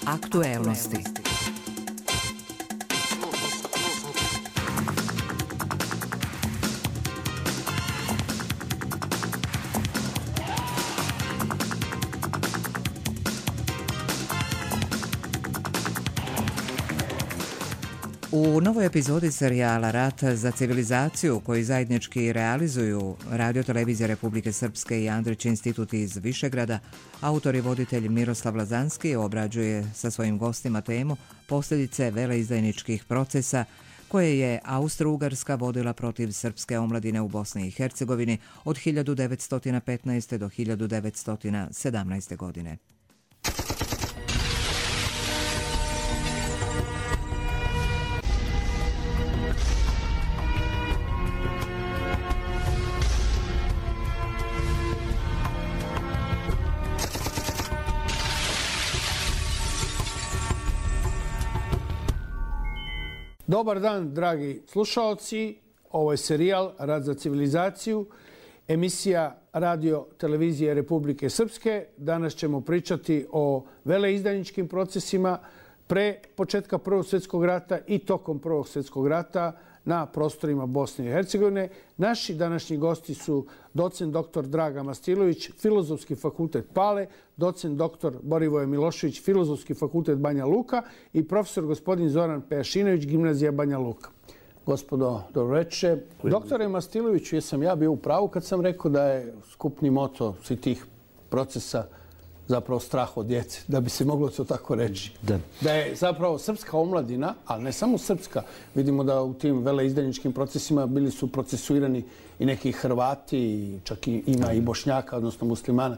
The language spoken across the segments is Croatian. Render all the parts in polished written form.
Aktuelnosti. U novoj epizodi serijala Rat za civilizaciju, koji zajednički realizuju Radio-televizija Republike Srpske i Andrić institut iz Višegrada, autor i voditelj Miroslav Lazanski obrađuje sa svojim gostima temu posljedice veleizdajničkih procesa koje je Austro-Ugarska vodila protiv srpske omladine u Bosni i Hercegovini od 1915. do 1917. godine. Dobar dan, dragi slušaoci. Ovo je serijal Rat za civilizaciju, emisija Radio-televizije Republike Srpske. Danas ćemo pričati o veleizdajničkim procesima pre početka Prvog svjetskog rata i tokom Prvog svjetskog rata na prostorima Bosne i Hercegovine. Naši današnji gosti su docent dr. Draga Mastilović, Filozofski fakultet Pale, docent dr. Borivoje Milošević, Filozofski fakultet Banja Luka i profesor gospodin Zoran Pejašinović, Gimnazija Banja Luka. Gospodo, dobro večer. Doktore Mastiloviću, jesam ja bio u pravu kad sam rekao da je skupni moto svih tih procesa zapravo strah od djece, da bi se moglo to tako reći. Da je zapravo srpska omladina, ali ne samo srpska, vidimo da u tim veleizdajničkim procesima bili su procesuirani i neki Hrvati, čak ima i Bošnjaka, odnosno muslimana.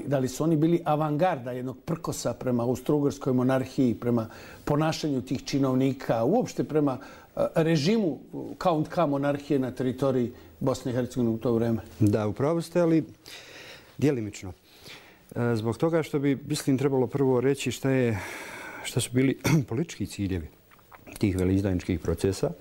Da li su oni bili avangarda jednog prkosa prema Austro-Ugarskoj monarhiji, prema ponašanju tih činovnika, uopšte prema režimu Count K monarhije na teritoriji Bosne i Hercegovine u to vreme? Da, upravo ste, ali djelimično. Zbog toga što bi, mislim, trebalo prvo reći šta su bili politički ciljevi tih veleizdajničkih procesa,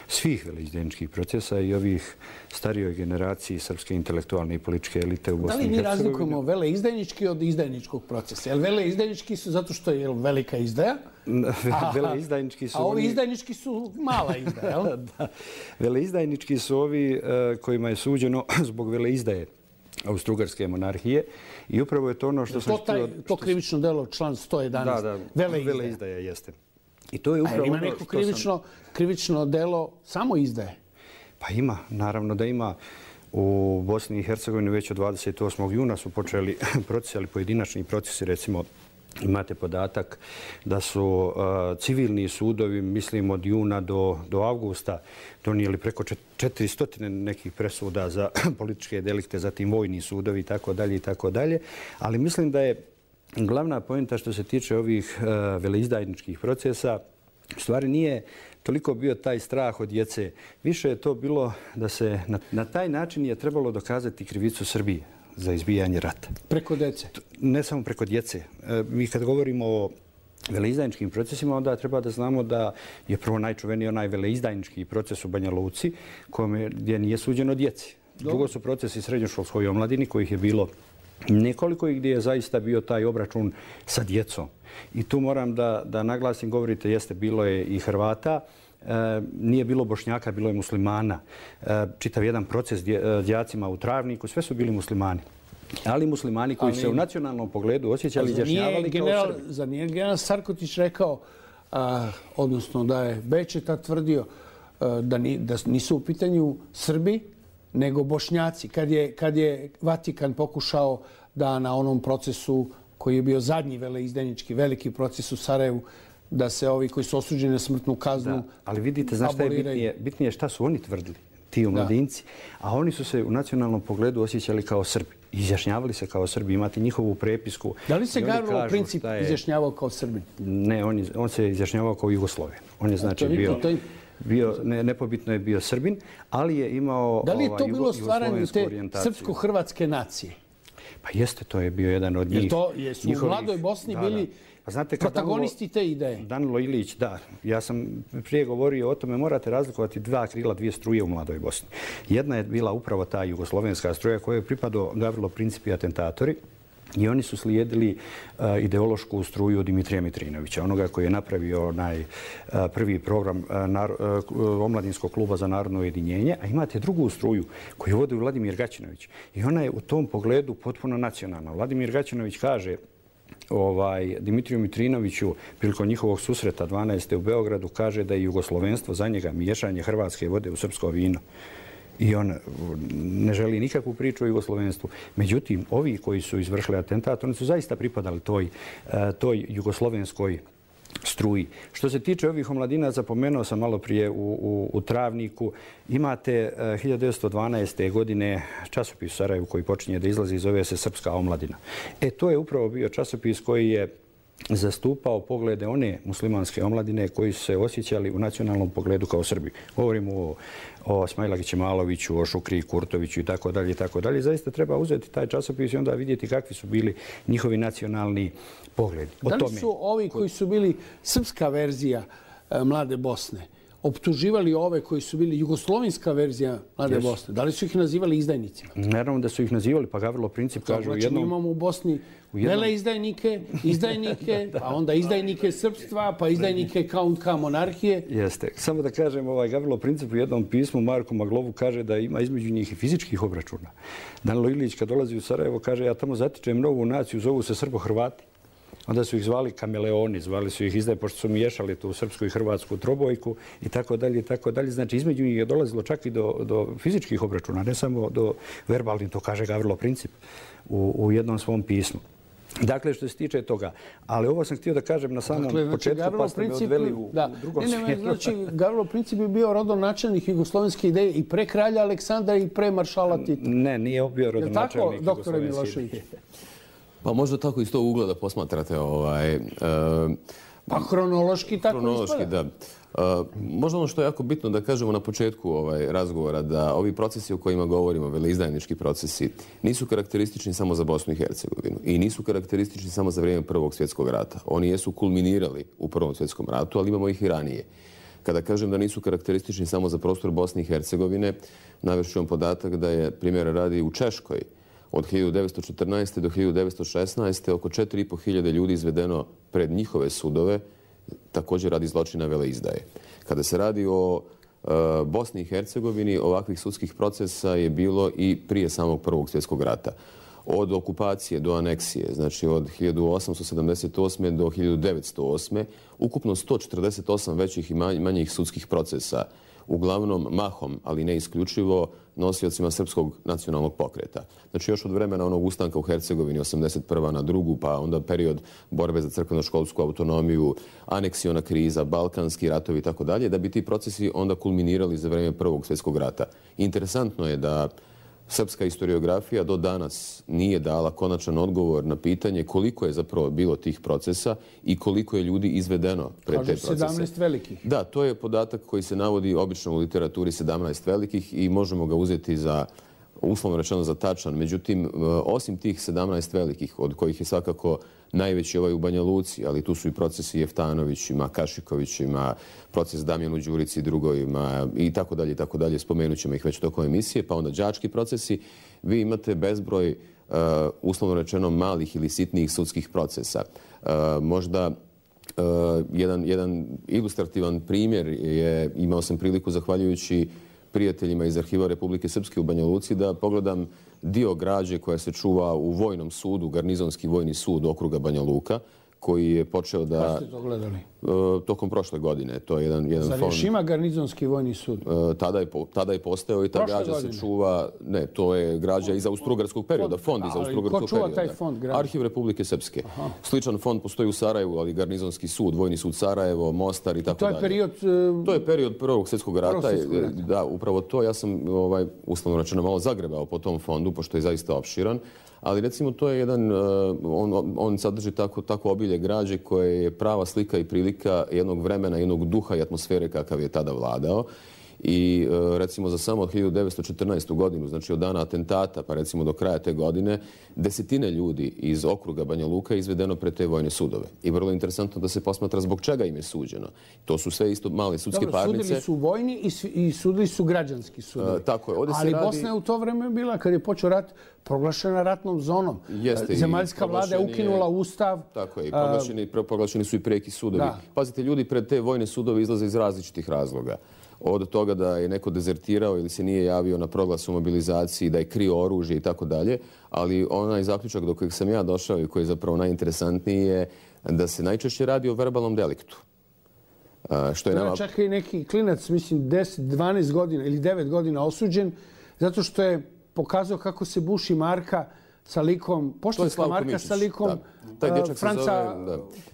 svih veleizdajničkih procesa i ovih starijoj generaciji srpske intelektualne i političke elite u Bosni i Hercegovini. Da li mi razlikujemo veleizdajnički od izdajničkog procesa? Jel veleizdajnički su zato što je velika izdaja? Veleizdajnički su a ovi izdajnički su mala izdaja, jel? Da. Veleizdajnički su ovi kojima je suđeno zbog veleizdaje Austro-Ugarske monarhije i upravo je to ono što sam htio... To krivično delo, član 111, da, veleizdaja jeste. I to je upravo ima neko krivično delo samo izdaje? Pa ima, naravno da ima. U Bosni i Hercegovini već od 28. juna su počeli procesi, ali pojedinačni procesi, recimo imate podatak da su civilni sudovi, mislim od juna do avgusta, donijeli preko 400 nekih presuda za političke delikte, zatim vojni sudovi i tako dalje. Ali mislim da je glavna poenta što se tiče ovih veleizdajničkih procesa, u stvari nije toliko bio taj strah od djece. Više je to bilo da se na taj način je trebalo dokazati krivicu Srbije za izbijanje rata. Preko djece? Ne samo preko djece. Mi kad govorimo o veleizdajničkim procesima, onda treba da znamo da je prvo najčuveniji onaj veleizdajnički proces u Banja Luci, gdje nije suđeno djeci. Drugo su procesi srednjoškolskoj omladini, kojih je bilo nekoliko i gdje je zaista bio taj obračun sa djecom. I tu moram da naglasim, govorite, jeste, bilo je i Hrvata, nije bilo Bošnjaka, bilo je muslimana. Čitav jedan proces đacima u Travniku, sve su bili muslimani. Ali muslimani koji se u nacionalnom pogledu osjećali izjašnjavali kao Srbi. Zar nije general Sarkotić rekao, odnosno da je Bečeta tvrdio da nisu u pitanju Srbi, nego Bošnjaci. Kad je Vatikan pokušao da na onom procesu koji je bio zadnji veleizdajnički veliki proces u Sarajevu, da se ovi koji su osuđeni na smrtnu kaznu aboliraju. Ali vidite, znaš šta je bitnije? Bitnije je šta su oni tvrdili, ti omladinci. A oni su se u nacionalnom pogledu osjećali kao Srbi. Izjašnjavali se kao Srbi, imate njihovu prepisku. Da li se Garvolo princip izjašnjavao kao Srbin? Ne, on se izjašnjavao kao Jugosloven. On je znači bio, nepobitno je bio Srbin, ali je imao da li je to bilo stvaranje te orijentaciju. srpsko-hrvatske nacije? Pa jeste, to je bio jedan od njih. Jesu u mladoj Bosni bili protagonisti te ideje? Danilo Ilić, da. Ja sam prije govorio o tome, morate razlikovati dva krila, dvije struje u mladoj Bosni. Jedna je bila upravo ta jugoslovenska struja kojoj je pripadao Gavrilo Princip i atentatori. I oni su slijedili ideološku struju Dimitrija Mitrinovića, onoga koji je napravio onaj prvi program Omladinskog kluba za narodno ujedinjenje, a imate drugu struju koju vodi Vladimir Gaćinović. I ona je u tom pogledu potpuno nacionalna. Vladimir Gaćinović kaže Dimitriju Mitrinoviću prilikom njihovog susreta 12. u Beogradu, kaže da je jugoslovenstvo za njega miješanje hrvatske vode u srpsko vino. I on ne želi nikakvu priču o jugoslovenstvu. Međutim, ovi koji su izvršili atentat, oni su zaista pripadali toj jugoslovenskoj struji. Što se tiče ovih omladinaca, pomenuo sam malo prije u Travniku, imate 1912. godine časopis u Sarajevu koji počinje da izlazi, zove se Srpska omladina. To je upravo bio časopis koji je zastupao poglede one muslimanske omladine koji su se osjećali u nacionalnom pogledu kao Srbi. Govorimo o Smailagiću Ćemaloviću, o Šukriji Kurtoviću i tako dalje i tako dalje. Zaista treba uzeti taj časopis i onda vidjeti kakvi su bili njihovi nacionalni pogledi. Da li su ovi koji su bili srpska verzija Mlade Bosne optuživali ove koji su bili jugoslovenska verzija Mlade Bosne? Da li su ih nazivali izdajnicima? Naravno da su ih nazivali, pa Gavrilo Princip kaže u jednom... Znači, mi imamo u Bosni veleizdajnike, pa onda izdajnike srpstva, pa izdajnike KK monarhije. Jeste. Samo da kažem, Gavrilo Princip u jednom pismu Marku Maglovu kaže da ima između njih i fizičkih obračuna. Danilo Ilić kad dolazi u Sarajevo kaže ja tamo zatičem novu naciju, zovu se Srbo-Hrvati. Onda su ih zvali kameleoni, zvali su ih izdaje, pošto su miješali tu srpsku i hrvatsku trobojku i tako dalje i tako dalje. Znači, između njih je dolazilo čak i do fizičkih obračuna, ne samo do verbalnih, to kaže Gavrilo Princip u jednom svom pismu. Dakle, što se tiče toga. Ali ovo sam htio da kažem na samom početku, pa ste me odveli u drugom smjeru. Znači, Gavrilo Princip je bio rodonačelnik jugoslovenske ideje i pre kralja Aleksandra i pre maršala Tita. Ne, nije bio rodonačelnik jugoslovenske ideje. Pa možda tako iz tog ugla da posmatrate pa hronološki tako hronološki, da. Možda ono što je jako bitno da kažemo na početku razgovora, da ovi procesi o kojima govorimo, veleizdajnički procesi, nisu karakteristični samo za Bosnu i Hercegovinu i nisu karakteristični samo za vrijeme Prvog svjetskog rata. Oni jesu kulminirali u Prvom svjetskom ratu, ali imamo ih i ranije. Kada kažem da nisu karakteristični samo za prostor Bosne i Hercegovine, navešću vam podatak da je, primjera radi, u Češkoj od 1914. do 1916. oko 4.500 ljudi izvedeno pred njihove sudove, također radi zločina veleizdaje. Kada se radi o Bosni i Hercegovini, ovakvih sudskih procesa je bilo i prije samog Prvog svjetskog rata. Od okupacije do aneksije, znači od 1878. do 1908. ukupno 148 većih i manjih sudskih procesa, uglavnom mahom, ali ne isključivo, nosiocima srpskog nacionalnog pokreta. Znači još od vremena onog ustanka u Hercegovini 81. na drugu, pa onda period borbe za crkveno-školsku autonomiju, aneksiona kriza, balkanski ratovi i tako dalje, da bi ti procesi onda kulminirali za vrijeme Prvog svjetskog rata. Interesantno je da srpska historiografija do danas nije dala konačan odgovor na pitanje koliko je zapravo bilo tih procesa i koliko je ljudi izvedeno pred te procese. Kaže 17 velikih. Da, to je podatak koji se navodi obično u literaturi 17 velikih i možemo ga uzeti za, uslovno rečeno, za tačan. Međutim, osim tih 17 velikih, od kojih je svakako najveći ovaj u Banja Luci, ali tu su i procesi Jeftanovićima, Kašikovićima, proces Damjanu Đurici i drugovima i tako dalje, spomenut ćemo ih već tokom emisije, pa onda đački procesi. Vi imate bezbroj, uslovno rečeno, malih ili sitnijih sudskih procesa. Možda jedan ilustrativan primjer je, imao sam priliku zahvaljujući prijateljima iz Arhiva Republike Srpske u Banja Luci da pogledam dio građe koja se čuva u vojnom sudu, Garnizonski vojni sud okruga Banja Luka, koji je počeo da... Kada ste to gledali? Tokom prošle godine. To je jedan fond. Zar još ima Garnizonski vojni sud? Tada je postao i ta građa se čuva... Ne, to je građa iz austrougarskog perioda. Fond iz austrougarskog perioda. Ko čuva taj fond građa? Arhiv Republike Srpske. Sličan fond postoji u Sarajevu, ali Garnizonski sud, Vojni sud Sarajevo, Mostar i tako dalje. To je period... To je period Prvog svjetskog rata. Da, upravo to. Ja sam, uslovno rečeno, malo zagrebao po tom fondu, pošto je zaista opširan. Ali recimo to je jedan, on sadrži tako obilje građe koje je prava slika i prilika jednog vremena, jednog duha i atmosfere kakav je tada vladao. I recimo za samo 1914. godinu, znači od dana atentata pa recimo do kraja te godine, desetine ljudi iz okruga Banja Luka je izvedeno pred te vojne sudove. I vrlo interesantno da se posmatra zbog čega im je suđeno. To su sve isto male sudske parnice. Sudili su vojni i sudili su građanski sudovi. Tako je. Ovdje se ali radi... Bosna je u to vreme bila, kad je počeo rat, proglašena ratnom zonom. Zemaljska vlada je ukinula ustav. Tako je. Proglašeni su i preki sudovi. Da. Pazite, ljudi pred te vojne sudove izlaze iz različitih razloga. Od toga da je neko dezertirao ili se nije javio na proglas o mobilizaciji, da je krio oružje i tako dalje. Ali onaj zaključak do kojeg sam ja došao i koji je zapravo najinteresantniji je da se najčešće radi o verbalnom deliktu. Što je nama... Čak i neki klinac, mislim, 10, 12 godina ili 9 godina osuđen, zato što je pokazao kako se buši marka sa likom, poštanska marka sa likom Franca...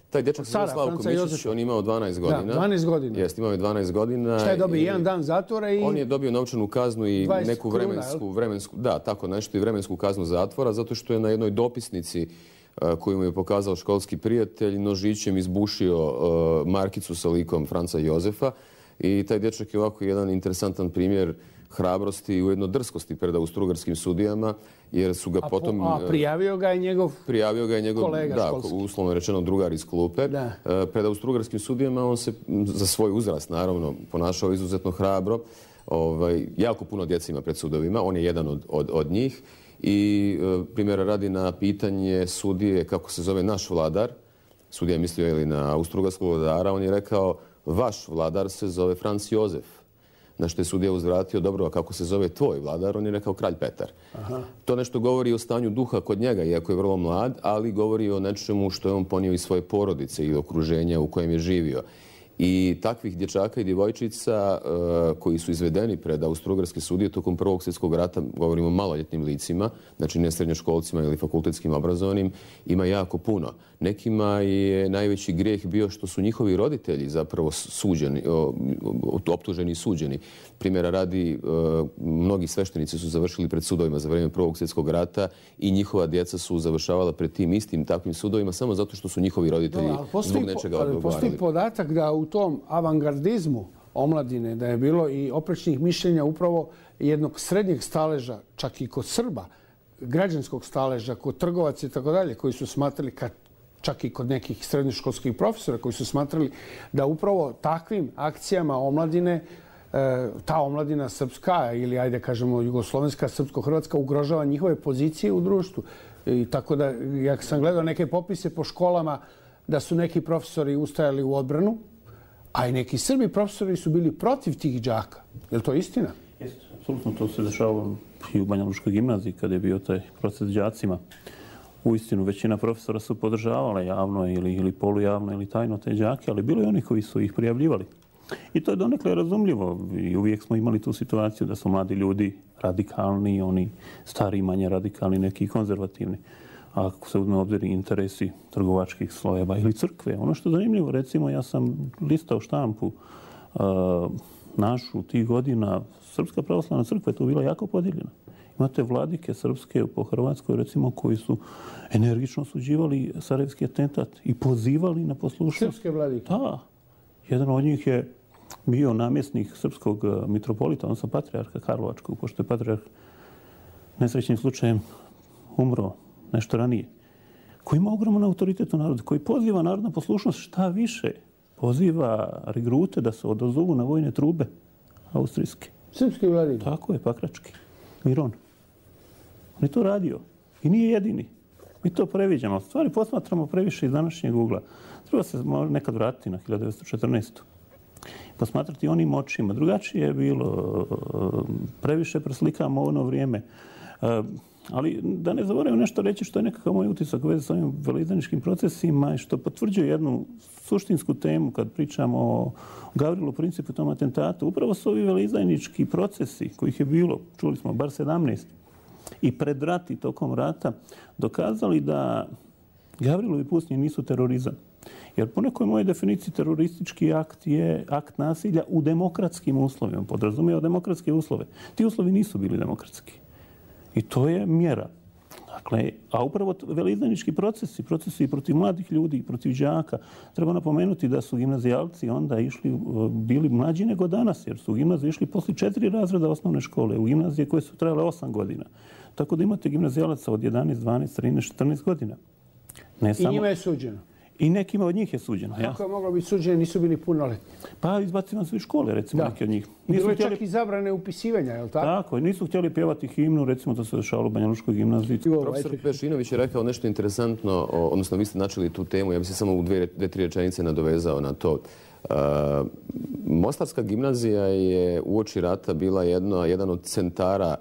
Taj dječak se zove Slavko Mišić, on je imao 12 godina. Da, 12 godina. Jeste, imao je 12 godina. Šta je dobio? Jedan dan zatvora i... On je dobio novčanu kaznu i neku vremensku... Da, tako nešto, i vremensku kaznu zatvora, zato što je na jednoj dopisnici koju mu je pokazao školski prijatelj nožićem izbušio markicu sa likom Franca Jozefa. I taj dječak je ovako jedan interesantan primjer hrabrosti i ujedno drskosti pred austrougarskim sudijama, jer su ga potom... A prijavio ga je njegov kolega školski. Da, uslovno rečeno drugar iz klupe. Da. Pred austrougarskim sudijama on se za svoj uzrast, naravno, ponašao izuzetno hrabro. Jako puno djece ima pred sudovima, on je jedan od njih. I primjera radi na pitanje sudije kako se zove naš vladar. Sudija je mislio ili na austrougarskog vladara, on je rekao vaš vladar se zove Franc Jozef. Na što je sudija uzvratio, dobro, a kako se zove tvoj vladar? On je rekao kralj Petar. Aha. To nešto govori o stanju duha kod njega, iako je vrlo mlad, ali govori o nečemu što je on ponio iz svoje porodice i okruženja u kojem je živio. I takvih dječaka i djevojčica koji su izvedeni pred austrougarske sudije tokom Prvog svjetskog rata, govorimo o maloljetnim licima, znači ne srednjoškolcima ili fakultetskim obrazovanim, ima jako puno. Nekima je najveći grijeh bio što su njihovi roditelji zapravo suđeni, optuženi i suđeni. Primjera radi, mnogi sveštenici su završili pred sudovima za vrijeme Prvog svjetskog rata i njihova djeca su završavala pred tim istim takvim sudovima samo zato što su njihovi roditelji zbog nečega odgovarali. Postoji podatak da u tom avangardizmu omladine, da je bilo i oprečnih mišljenja upravo jednog srednjeg staleža, čak i kod Srba, građanskog staleža, kod trgovaca i tako dalje, koji su smatrali, čak i kod nekih srednjoškolskih profesora, koji su smatrali da upravo takvim akcijama omladine, ta omladina srpska ili, ajde kažemo, jugoslovenska, srpsko-hrvatska ugrožava njihove pozicije u društvu. I tako da, ja sam gledao neke popise po školama da su neki profesori ustajali u odbranu, a i neki Srbi profesori su bili protiv tih đaka. Je li to istina? Jeste, apsolutno. To se dešavalo i u Banja Lučkoj gimnaziji kada je bio taj proces đacima. Uistinu, većina profesora su podržavala javno ili polujavno ili tajno te đake, ali bilo je oni koji su ih prijavljivali. I to je donekle razumljivo. I uvijek smo imali tu situaciju da su mladi ljudi radikalni, oni stari, manje radikalni, neki konzervativni. A ako se uzme obzir interesi trgovačkih slojeva ili crkve. Ono što je zanimljivo, recimo, ja sam listao štampu našu tih godina. Srpska pravoslavna crkva je tu bila jako podijeljena. Imate vladike srpske po Hrvatskoj, recimo, koji su energično osuđivali sarajevski atentat i pozivali na poslušnost. Srpske vladike? Da. Jedan od njih je bio namjesnik srpskog mitropolita, odnosno patrijarha Karlovačkog, pošto je patrijarh nesrećnim slučajem umro nešto ranije, koji ima ogroman autoritet u narodu, koji poziva narod na poslušnost, šta više, poziva regrute da se odazovu na vojne trube austrijske. Srpski vladike? Tako je, Pakrački. Miron. On je to radio. I nije jedini. Mi to previđamo. Stvari posmatramo previše iz današnjeg ugla. Treba se nekad vratiti na 1914. Posmatrati onim očima. Drugačije je bilo. Previše preslikamo ono vrijeme. Ali da ne zaboravim nešto reći što je nekakav moj utisak u vezi s ovim veleizdajničkim procesima i što potvrđuje jednu suštinsku temu kad pričamo o Gavrilu Principu i tom atentatu. Upravo su ovi veleizdajnički procesi, kojih je bilo, čuli smo, bar 17, i pred rat i tokom rata, dokazali da Gavrilovi pucnji nisu terorizam. Jer po nekoj mojoj definiciji teroristički akt je akt nasilja u demokratskim uslovima. Podrazumijeva demokratske uslove. Ti uslovi nisu bili demokratski. I to je mjera. Dakle, a upravo veleizdajnički procesi protiv mladih ljudi, protiv đaka. Treba napomenuti da su gimnazijalci onda bili mlađi nego danas, jer su u gimnaziju išli poslije 4 razreda osnovne škole, u gimnazije koje su trajale 8 godina. Tako da imate gimnazijalaca od 11, 12, 13, 14 godina. I njima je suđeno? I nekima od njih je suđeno. Kako je moglo biti suđeno, nisu bili punoletni? Pa izbacivani su iz škole, recimo, neki od njih. Bilo je čak i zabrane upisivanja, je li tako? Tako, nisu htjeli pjevati himnu, recimo to se dešavalo u Banja Lučkoj gimnaziji. Profesor Pešinović je rekao nešto interesantno, odnosno vi ste načeli tu temu, ja bih se samo u 2-3 rečenice nadovezao na to. Mostarska gimnazija je uoči rata bila jedan od centara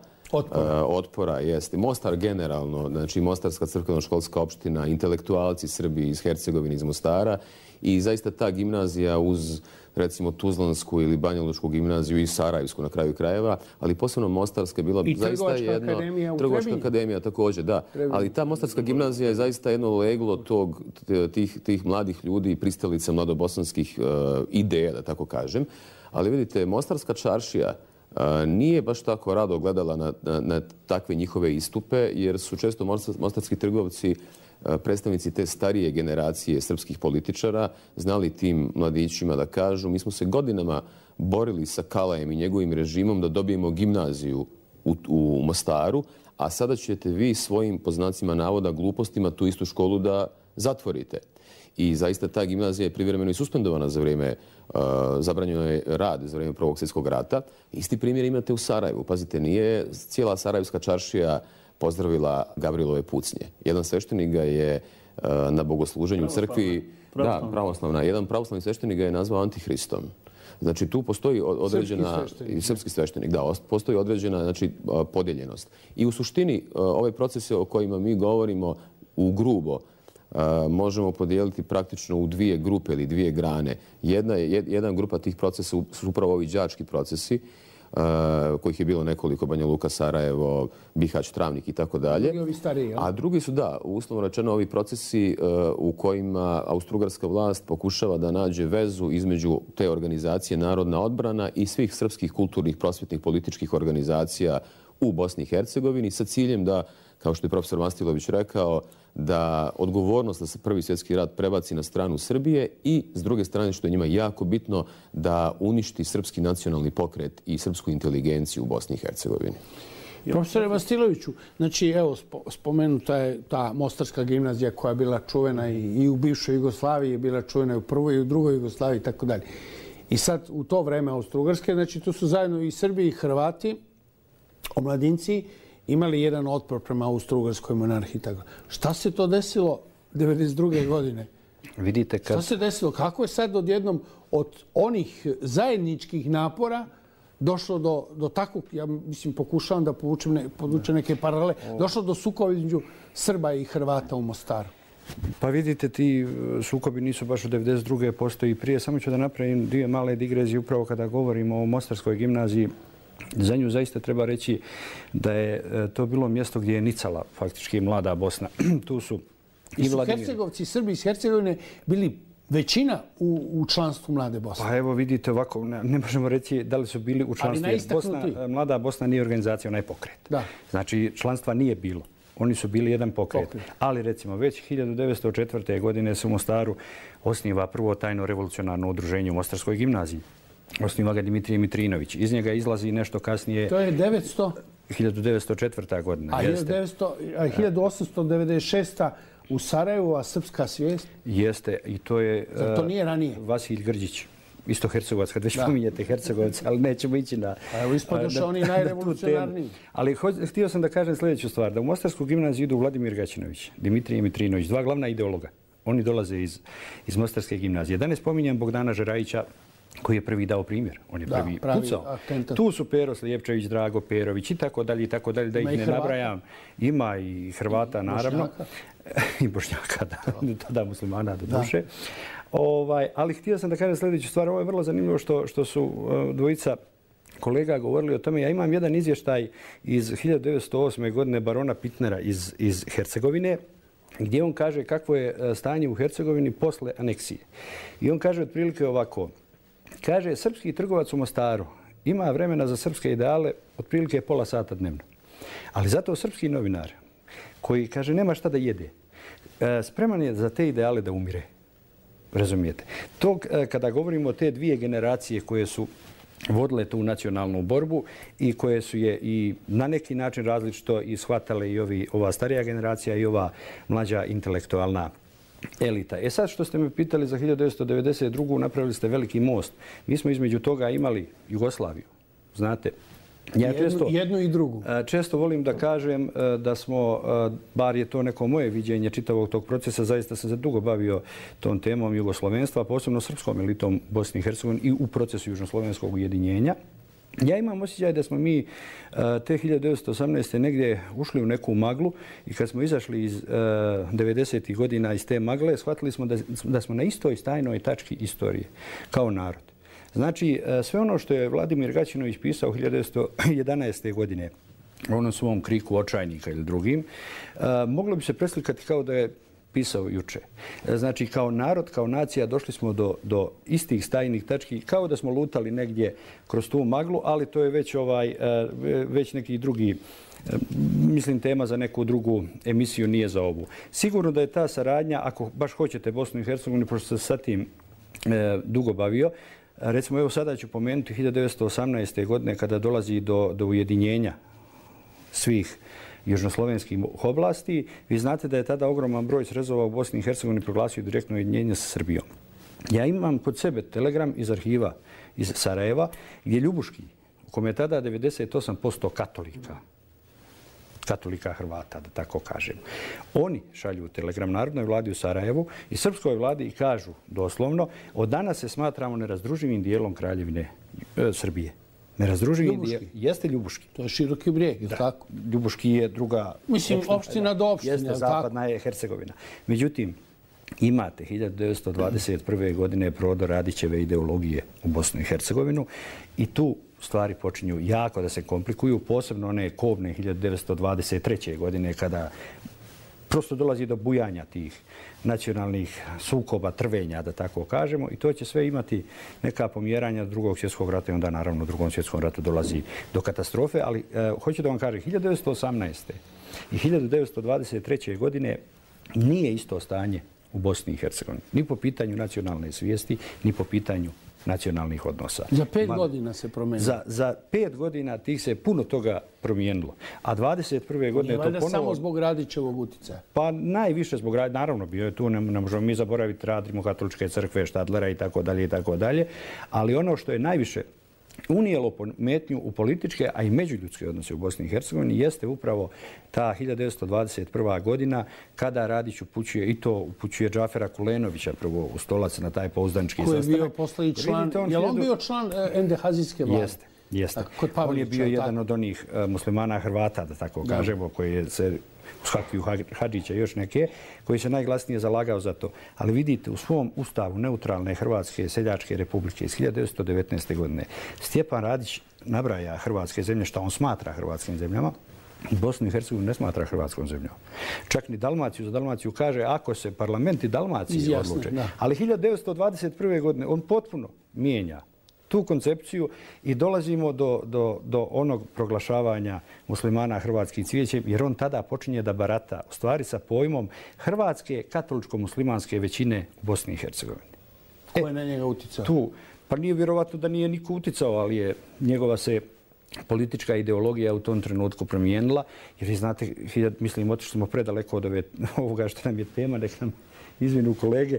otpora. Jeste. Mostar generalno, znači Mostarska crkveno-školska opština, intelektualci Srbi iz Hercegovine, iz Mostara i zaista ta gimnazija uz recimo Tuzlansku ili Banja Lučku gimnaziju i Sarajevsku na kraju krajeva, ali posebno Mostarska je bila zaista jedna... Trgovačka akademija također, da. Ali ta Mostarska gimnazija je zaista jedno leglo tih mladih ljudi, pristalica mladobosanskih ideja, da tako kažem. Ali vidite, Mostarska čaršija nije baš tako rado gledala na takve njihove istupe, jer su često mostarski trgovci, predstavnici te starije generacije srpskih političara, znali tim mladićima da kažu mi smo se godinama borili sa Kalajem i njegovim režimom da dobijemo gimnaziju u Mostaru, a sada ćete vi svojim, po znacima navoda, glupostima tu istu školu da zatvorite. I zaista ta gimnazija je privremeno i suspendovana za vrijeme, zabranjeno je rad za vrijeme Prvog svjetskog rata. Isti primjer imate u Sarajevu. Pazite, nije cijela sarajevska čaršija pozdravila Gavrilove pucnje. Jedan sveštenik ga je na bogosluženju u crkvi, pravoslavna, jedan pravoslavni sveštenik ga je nazvao antihristom. Znači tu postoji određena, srpski sveštenik, da, postoji određena, znači, podijeljenost. I u suštini ove procese o kojima mi govorimo u grubo možemo podijeliti praktično u 2 grupe ili 2 grane. Jedna grupa tih procesa su upravo ovi đački procesi, kojih je bilo nekoliko, Banja Luka, Sarajevo, Bihać, Travnik i tako dalje. A drugi su, da, uslovno rečeno, ovi procesi u kojima austrougarska vlast pokušava da nađe vezu između te organizacije Narodna odbrana i svih srpskih kulturnih, prosvjetnih, političkih organizacija u Bosni i Hercegovini sa ciljem da, kao što je profesor Mastilović rekao, da odgovornost da se Prvi svjetski rat prebaci na stranu Srbije i, s druge strane, što je njima jako bitno, da uništi srpski nacionalni pokret i srpsku inteligenciju u Bosni i Hercegovini. Profesore Vastiloviću, znači, evo, spomenuta je ta Mostarska gimnazija koja je bila čuvena i u bivšoj Jugoslaviji, je bila čuvena i u prvoj i u drugoj Jugoslaviji i tako dalje. I sad, u to vreme Austrougarske, znači, tu su zajedno i Srbi i Hrvati, omladinci, imali jedan otpor prema Austrougarskoj monarhiji. Šta se to desilo 1992. godine? Vidite kad... Šta se desilo? Kako je sad odjednom od onih zajedničkih napora došlo do takvog, ja mislim, pokušavam da podvučem neke paralele, došlo do sukoba između Srba i Hrvata u Mostaru? Pa vidite, ti sukobi nisu baš od 1992. postoji prije. Samo ću da napravim 2 male digresije upravo kada govorimo o Mostarskoj gimnaziji. Za nju zaista treba reći da je to bilo mjesto gdje je nicala faktički mlada Bosna. Tu su i Vladimir. Hercegovci, Srbi iz Hercegovine bili većina u članstvu Mlade Bosne. Pa evo vidite ovako, ne možemo reći da li su bili u članstvu. Mlada Bosna nije organizacija, ona je pokret. Da. Znači članstva nije bilo. Oni su bili jedan pokret. Ali recimo već 1904. godine se u Mostaru osniva prvo tajno revolucionarno udruženje u Mostarskoj gimnaziji. Osniva ga Dimitrije Mitrinović. Iz njega izlazi nešto kasnije... To je 1904. godina. A 1896. u Sarajevu, a srpska svijest? Jeste. I to je... Zar to nije ranije? Vasilj Grđić. Isto Hercegovac, kad već pominjete Hercegovac, ali nećemo ići na... Evo ispodoše oni najrevolucionarniji. Ali htio sam da kažem sljedeću stvar. Da u Mostarsku gimnaziju idu Vladimir Gaćinović, Dimitrije Mitrinović, 2 glavna ideologa. Oni dolaze iz Mostarske gimnazije. Da ne spominjem Bogdana Žerajića, koji je prvi dao primjer. On je prvi pucao. Tu su Pero Slijepčević, Drago Perović i tako dalje, da ih ne nabrajam. Ima i Hrvata, naravno. I Bošnjaka, tada muslimana do duše. Ali htio sam da kažem sljedeću stvar. Ovo je vrlo zanimljivo što su dvojica kolega govorili o tome. Ja imam jedan izvještaj iz 1908. godine barona Pitnera iz Hercegovine, gdje on kaže kakvo je stanje u Hercegovini posle aneksije. I on kaže otprilike ovako. Kaže, srpski trgovac u Mostaru ima vremena za srpske ideale otprilike pola sata dnevno. Ali zato srpski novinar koji kaže nema šta da jede, spreman je za te ideale da umire. Razumijete? To kada govorimo o te dvije generacije koje su vodile tu nacionalnu borbu i koje su je i na neki način različito i shvatale i ova starija generacija i ova mlađa intelektualna elita. Sad što ste me pitali za 1992. napravili ste veliki most. Mi smo između toga imali Jugoslaviju. Znate, jednu i drugu. Često volim da kažem da smo, bar je to neko moje viđenje čitavog tog procesa, zaista sam se dugo bavio tom temom jugoslovenstva, posebno srpskom elitom Bosne i Hercegovine i u procesu južnoslovenskog ujedinjenja. Ja imam osjećaj da smo mi te 1918. negdje ušli u neku maglu i kad smo izašli iz 90. godina iz te magle, shvatili smo da smo na istoj stajnoj tački istorije kao narod. Znači, sve ono što je Vladimir Gaćinović pisao 1911. godine u onom svom kriku očajnika ili drugim, moglo bi se preslikati kao da je pisao juče. Znači, kao narod, kao nacija došli smo do istih stajnih tački, kao da smo lutali negdje kroz tu maglu, ali to je već neki drugi, mislim, tema za neku drugu emisiju, nije za ovu. Sigurno da je ta saradnja, ako baš hoćete Bosnu i Hercegovinu, pošto se sa tim dugo bavio, recimo, evo sada ću pomenuti 1918. godine kada dolazi do ujedinjenja svih južnoslovenskih oblasti. Vi znate da je tada ogroman broj srezova u Bosni i Hercegovini proglasio direktno ujedinjenje sa Srbijom. Ja imam kod sebe telegram iz arhiva iz Sarajeva gdje Ljubuški, u kome je tada 98% katolika Hrvata, da tako kažem. Oni šalju telegram Narodnoj vladi u Sarajevu i srpskoj vladi i kažu doslovno od danas se smatramo nerazdruživim dijelom Kraljevine Srbije. Nerazdruživim dijelom jeste Ljubuški. To je Široki brijeg, ili tako? Ljubuški je druga opština do opštine. Jeste, zapadna je Hercegovina. Međutim, imate 1921. godine prodor Radićeve ideologije u Bosnu i Hercegovinu i tu stvari počinju jako da se komplikuju, posebno one kobne 1923. godine kada prosto dolazi do bujanja tih nacionalnih sukoba, trvenja, da tako kažemo, i to će sve imati neka pomjeranja Drugog svjetskog rata i onda naravno u Drugom svjetskom ratu dolazi do katastrofe, ali hoću da vam kažem, 1918. i 1923. godine nije isto stanje u Bosni i Hercegovini. Ni po pitanju nacionalne svijesti, ni po pitanju nacionalnih odnosa. Za 5 godina se promijenilo. Za 5 godina tih se puno toga promijenilo. A 21. godine je to ponovo... samo zbog Radićevog utjecaja? Pa najviše zbog Radića. Naravno, bio je tu, ne možemo mi zaboraviti rad Rimokatoličke crkve, Štadlera i tako dalje. Ali ono što je najviše unijelo pometnju u političke, a i međuljudske odnose u Bosni i Hercegovini jeste upravo ta 1921. godina kada Radić upućuje Džafera Kulenovića prvo u Stolac na taj pouzdanički sastanak. Koji je bio posle i član, je li on bio član endehazijske vlade? Jeste. On je bio jedan od onih muslimana Hrvata, da tako kažemo, koji se uz Hakiju Hadžića i još neke, koji se najglasnije zalagao za to. Ali vidite, u svom ustavu neutralne Hrvatske seljačke republike iz 1919. godine Stjepan Radić nabraja hrvatske zemlje, što on smatra hrvatskim zemljama, Bosnu i Hercegovinu ne smatra hrvatskom zemljom. Čak ni Dalmaciju za Dalmaciju kaže ako se parlamenti Dalmacije odluče. Ali 1921. godine on potpuno mijenja tu koncepciju i dolazimo do onog proglašavanja muslimana hrvatskih cvijećem, jer on tada počinje da barata u stvari sa pojmom hrvatske katoličko-muslimanske većine u Bosni i Hercegovini. Ko je na njega uticao? Pa nije vjerovatno da nije niko uticao, ali je njegova se politička ideologija u tom trenutku promijenila, jer vi znate, mislim, otišli smo predaleko od ovoga što nam je tema, nek nam izvinu kolege.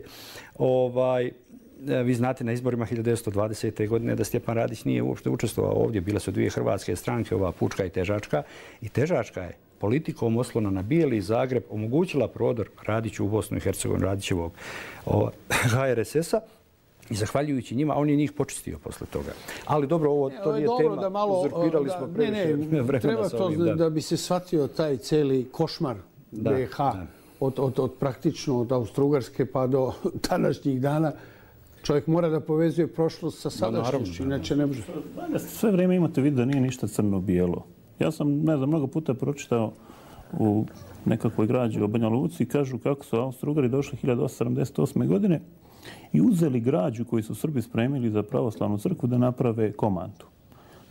Vi znate na izborima 1920. godine da Stjepan Radić nije uopšte učestvovao ovdje. Bile su dvije hrvatske stranke, ova Pučka i Težačka. I Težačka je politikom oslona na Bijeli Zagreb omogućila prodor Radiću u Bosnu i Hercegovinu, Radićevog HRSS-a. I zahvaljujući njima, on je njih počistio posle toga. Ali dobro, to nije tema. Uzurpirali smo previše vremena. Treba to da bi se shvatio taj cijeli košmar BiH od praktično od Austro-Ugarske pa do današnjih dana. Čovjek mora da povezuje prošlost sa sadašnjošću, inače ne može. Sve vrijeme imate vid da nije ništa crno-bijelo. Ja sam, mnogo puta pročitao u nekakvoj građi o Banja Luci i kažu kako su Austro-Ugari došli 1878. godine i uzeli građu koju su Srbi spremili za pravoslavnu crkvu da naprave komandu.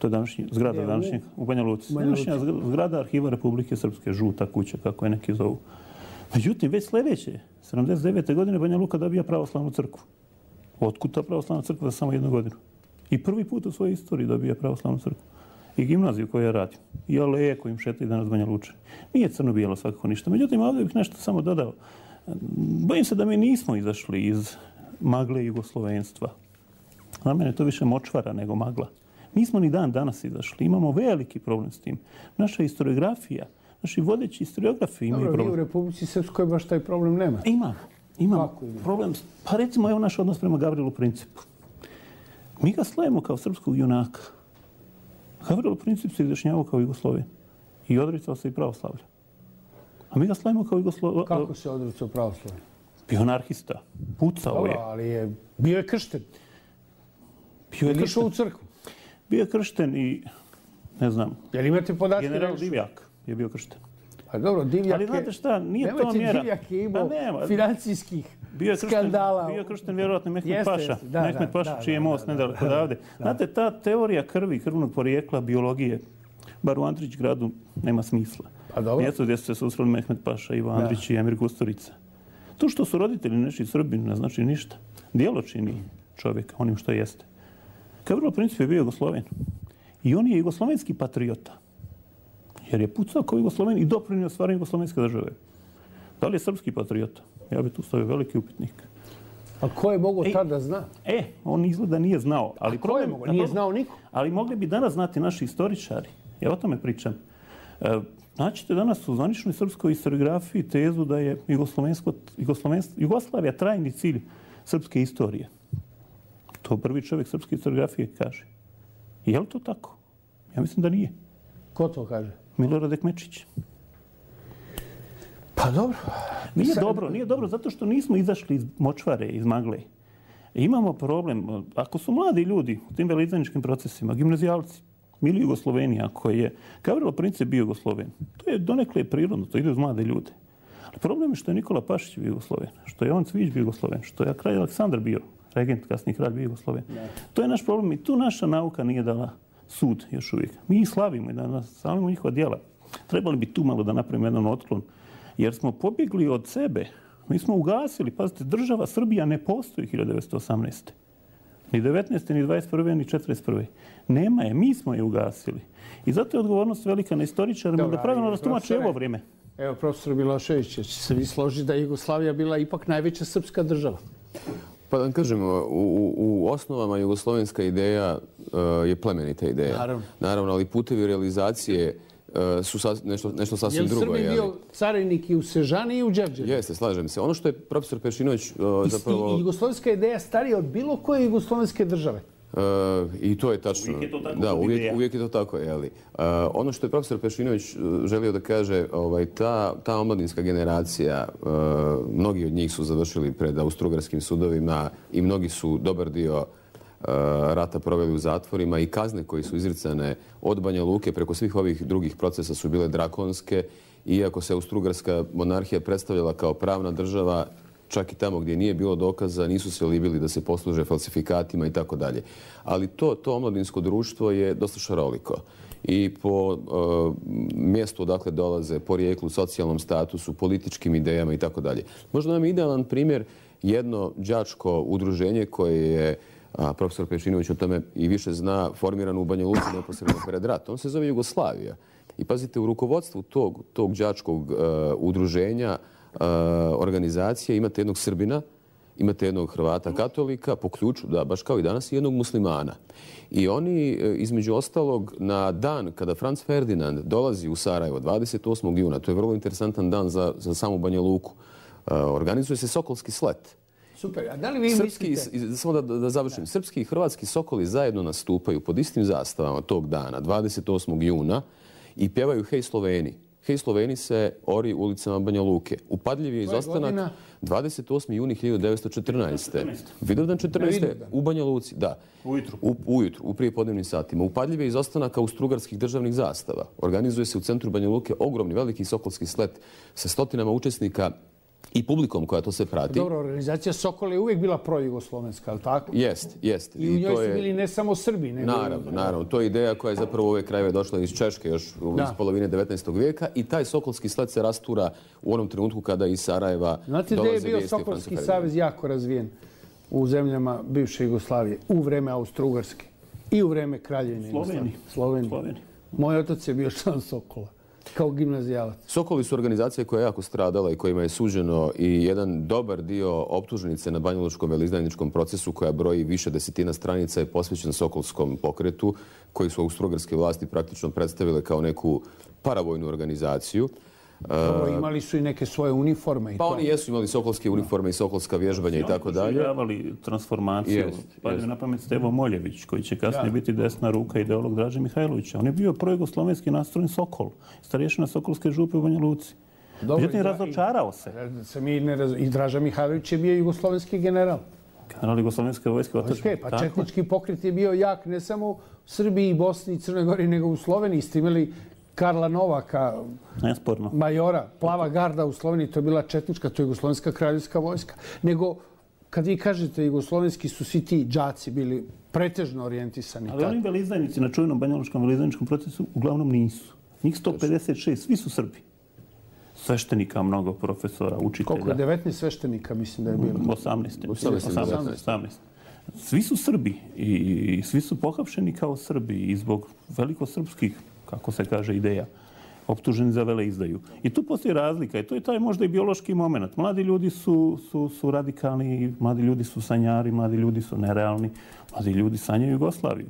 To je današnja zgrada današnjeg u Banja Luci. Današnja zgrada Arhiva Republike Srpske, žuta kuća, kako je neki zovu. Međutim, već sljedeće, 79. godine Banja Luka dobija pravoslavnu crkvu. Otkud ta pravoslavna crkva za samo 1 godinu? I prvi put u svojoj istoriji dobija pravoslavnu crkvu. I gimnaziju koju je radio. I aleje kojim šetaju danas Banja Lučani. Nije crno-bijelo svakako ništa. Međutim, ovdje bih nešto samo dodao. Bojim se da mi nismo izašli iz magle jugoslovenstva. Na mene je to više močvara nego magla. Nismo ni dan danas izašli. Imamo veliki problem s tim. Naša historiografija, naši vodeći historiografi imaju problem. Dobro, vi u Republici Srpskoj baš taj problem nema. Imam problem. Pa recimo, evo naš odnos prema Gavrilu Principu. Mi ga slavimo kao srpskog junaka. Gavrilo Princip se izjašnjavao kao Jugosloven i odricao se i pravoslavlja. A mi ga slavimo kao Jugosloven. Kako se odricao pravoslavlja? Bio anarhista. Pucao je. Ali bio je kršten. Išao u crkvu. Bio je kršten i, ne znam, Jel imate podatke? General Divjak je bio kršten. Pa dobro, Divjak je... Ali znate šta, nije to mjera. Divjak je imao financijskih skandala. Bio je kršten vjerojatno Mehmet Paša. Mehmet Paša, čiji je most nedaleko odavde. Znate, ta teorija krvi, krvnog porijekla, biologije, bar u Andrić gradu nema smisla. Mjesto gdje su se susreli Mehmet Paša, Ivo Andrić i Emir Kusturica. To što su roditelji neši Srbini ne znači ništa. Djelo čini čovjeka onim što jeste. Gavrilo Princip je bio Jugosloven. I on je jugoslovenski patriota. Jer je pucao kao Jugosloven i doprinio stvaranju jugoslovenske države. Da li je srpski patriota? Ja bih tu stavio veliki upitnik. A ko je mogao tada zna? On izgleda nije znao. Ali ko je mogao? Nije znao niko. Ali mogli bi danas znati naši istoričari. Ja o tome pričam. Naćete danas u zvaničnoj srpskoj historiografiji tezu da je Jugoslavija trajni cilj srpske istorije. To prvi čovjek srpske historiografije kaže. Je li to tako? Ja mislim da nije. Ko to kaže? Milorad Ekmečić. Pa dobro. Nije dobro zato što nismo izašli iz močvare, iz magle. Imamo problem. Ako su mladi ljudi u tim veleizdajničkim procesima, gimnazijalci, ili Jugosloveni, ako je Gavrilo Princip bio Jugosloven, to je donekle prirodno, to ide uz mlade ljude. Ali problem je što je Nikola Pašić bio Jugosloven, što je Jovan Cvijić bio Jugosloven, što je kralj Aleksandar bio regent, kasniji kralj bio Jugosloven. To je naš problem i tu naša nauka nije dala sud još uvijek. Mi ih slavimo i da slavimo njihova djela. Trebali bi tu malo da napravimo jedan otklon, jer smo pobjegli od sebe. Mi smo ugasili, pazite, država Srbija ne postoji 1918. Ni 19. ni 21. ni 41. Nema je, mi smo je ugasili. I zato je odgovornost velika na istoričarima da pravilno rastumače ovo vrijeme. Evo, profesor Milošević, će se vi složiti da je Jugoslavija bila ipak najveća srpska država? Pa da kažemo, u osnovama jugoslovenska ideja je plemenita ideja. Naravno, ali putevi realizacije su nešto sasvim drugo. Je li Srbi bio carinik i u Sežani i u Đevđeru? Jeste, slažem se. Ono što je profesor Pešinović zapravo... Jugoslovenska ideja starija od bilo koje jugoslovenske države? I to je tačno. Uvijek je to tako. Da, uvijek je to tako. Ono što je profesor Pešinović želio da kaže, ta omladinska generacija, mnogi od njih su završili pred austrougarskim sudovima i mnogi su dobar dio rata proveli u zatvorima i kazne koje su izricane od Banja Luke preko svih ovih drugih procesa su bile drakonske. Iako se austrougarska monarhija predstavljala kao pravna država, čak i tamo gdje nije bilo dokaza, nisu se libili da se posluže falsifikatima i tako dalje. Ali to omladinsko društvo je dosta šaroliko. I po mjestu odakle dolaze, porijeklu, socijalnom statusu, političkim idejama i tako dalje. Možda nam je idealan primjer jedno đačko udruženje koje je, profesor Pešinović o tome i više zna, formirano u Banja Luci neposredno pred ratom. On se zove Jugoslavija. I pazite, u rukovodstvu tog đačkog udruženja, organizacije, imate jednog Srbina, imate jednog Hrvata katolika, po ključu, da, baš kao i danas, i jednog muslimana. I oni, između ostalog, na dan kada Franz Ferdinand dolazi u Sarajevo, 28. juna, to je vrlo interesantan dan za samu Banja Luku, organizuje se Sokolski slet. Super, a da li vi mislite... Samo da završim. Srpski i hrvatski sokoli zajedno nastupaju pod istim zastavama tog dana, 28. juna, i pjevaju Hej Sloveni. Hej Sloveni se ori ulicama Banja Luke. Upadljiv je izostanak 28. juni 1914. Vidovdan 14. u Banja Luci. Da. Ujutru, u prijepodnevnim satima. Upadljiv je izostanak austrougarskih državnih zastava. Organizuje se u centru Banja Luke ogromni, veliki sokolski slet sa stotinama učesnika i publikom koja to sve prati. Dobro, organizacija Sokol je uvijek bila projugoslovenska, ali tako? Jest. I u njoj su bili ne samo Srbi. Naravno. To je ideja koja je zapravo u ove krajeve došla iz Češke još iz polovine 19. vijeka i taj Sokolski sled se rastura u onom trenutku kada iz Sarajeva dolaze vijesti. Znate da je bio Sokolski savez jako razvijen u zemljama bivše Jugoslavije u vreme Austro-Ugarske i u vreme Kraljevine Slovenije. Moj otac je bio član Sokola. Kao gimnazijalac. Sokoli su organizacije koja je jako stradala i kojima je suđeno i jedan dobar dio optužnice na banjalučkom veleizdajničkom procesu koja broji više desetina stranica je posvećen Sokolskom pokretu koji su austro-ugarske vlasti praktično predstavile kao neku paravojnu organizaciju. Imali su i neke svoje uniforme. Pa oni jesu imali sokolske uniforme i sokolska vježbanja i tako dalje. Oni su življavali transformaciju. Pa je na pamet Stevo Moljević, koji će kasnije biti desna ruka ideolog Draže Mihajlovića. On je bio projugoslovenski nastrojen Sokol, starješina Sokolske župe u Banja Luci. Međutim, razočarao se. I Draža Mihajlović je bio jugoslovenski general. General jugoslovenske vojske otačne. Pa četnički pokret je bio jak ne samo u Srbiji, Bosni i Crnoj Gori, nego u Sloveniji. Ste imali Karla Novaka, majora, plava garda u Sloveniji, to je bila četnička, to je jugoslovenska kraljevska vojska. Nego, kad vi kažete jugoslovenski su svi ti đaci bili pretežno orijentisani. Ali oni veleizdajnici na čuvenom banjalučkom veleizdajničkom procesu uglavnom nisu. Njih 156, svi su Srbi. Sveštenika, mnogo profesora, učitelja. Koliko je 19 sveštenika, mislim da je bilo? 18. Svi su Srbi i svi su pohapšeni kao Srbi i zbog velikosrpskih, kako se kaže, ideja, optuženi za veleizdaju. I tu postoji razlika i to je taj možda i biološki moment. Mladi ljudi su radikalni, mladi ljudi su sanjari, mladi ljudi su nerealni, mladi ljudi sanjaju Jugoslaviju.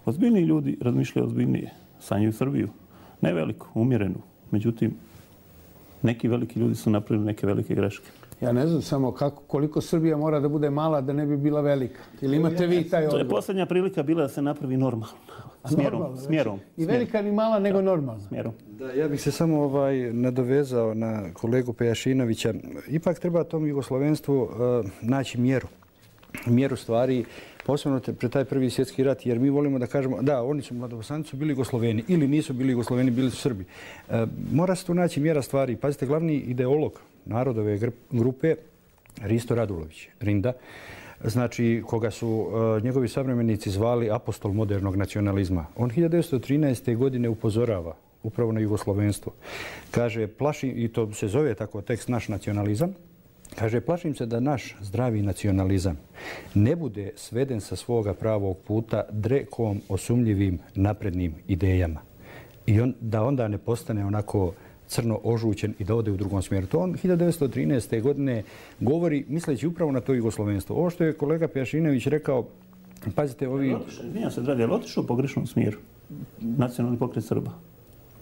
Ozbiljni ljudi razmišljaju ozbiljnije, sanjaju Srbiju. Ne veliku, umjerenu. Međutim, neki veliki ljudi su napravili neke velike greške. Ja ne znam samo koliko Srbija mora da bude mala da ne bi bila velika. Ili imate vi taj odgovor? To je posljednja prilika bila da se napravi normalno. Smjerom. I velika ni mala, nego normalno. Smjerom. Da, ja bih se samo nadovezao na kolegu Pejašinovića. Ipak treba tom jugoslovenstvu naći mjeru stvari, posebno pred taj prvi svjetski rat, jer mi volimo da kažemo da, oni su mladobosanci su bili Jugosloveni ili nisu bili Jugosloveni, bili su Srbi. Mora se tu naći mjera stvari. Pazite, glavni ideolog narodove grupe Risto Radulović, Rinda, znači koga su njegovi savremenici zvali apostol modernog nacionalizma. On 1913. godine upozorava upravo na jugoslovenstvo. Kaže, i to se zove tako tekst naš nacionalizam, kaže, plašim se da naš zdravi nacionalizam ne bude sveden sa svoga pravog puta drekom osumljivim naprednim idejama. I da onda ne postane onako crno ožućen i da ode u drugom smjeru. To on 1913. godine govori misleći upravo na to jugoslovenstvo. Ovo što je kolega Pejašinović rekao, pazite, ovi... Nije se, dragi, ali otišao u pogrešnom smjeru. Nacionalni pokret Srba.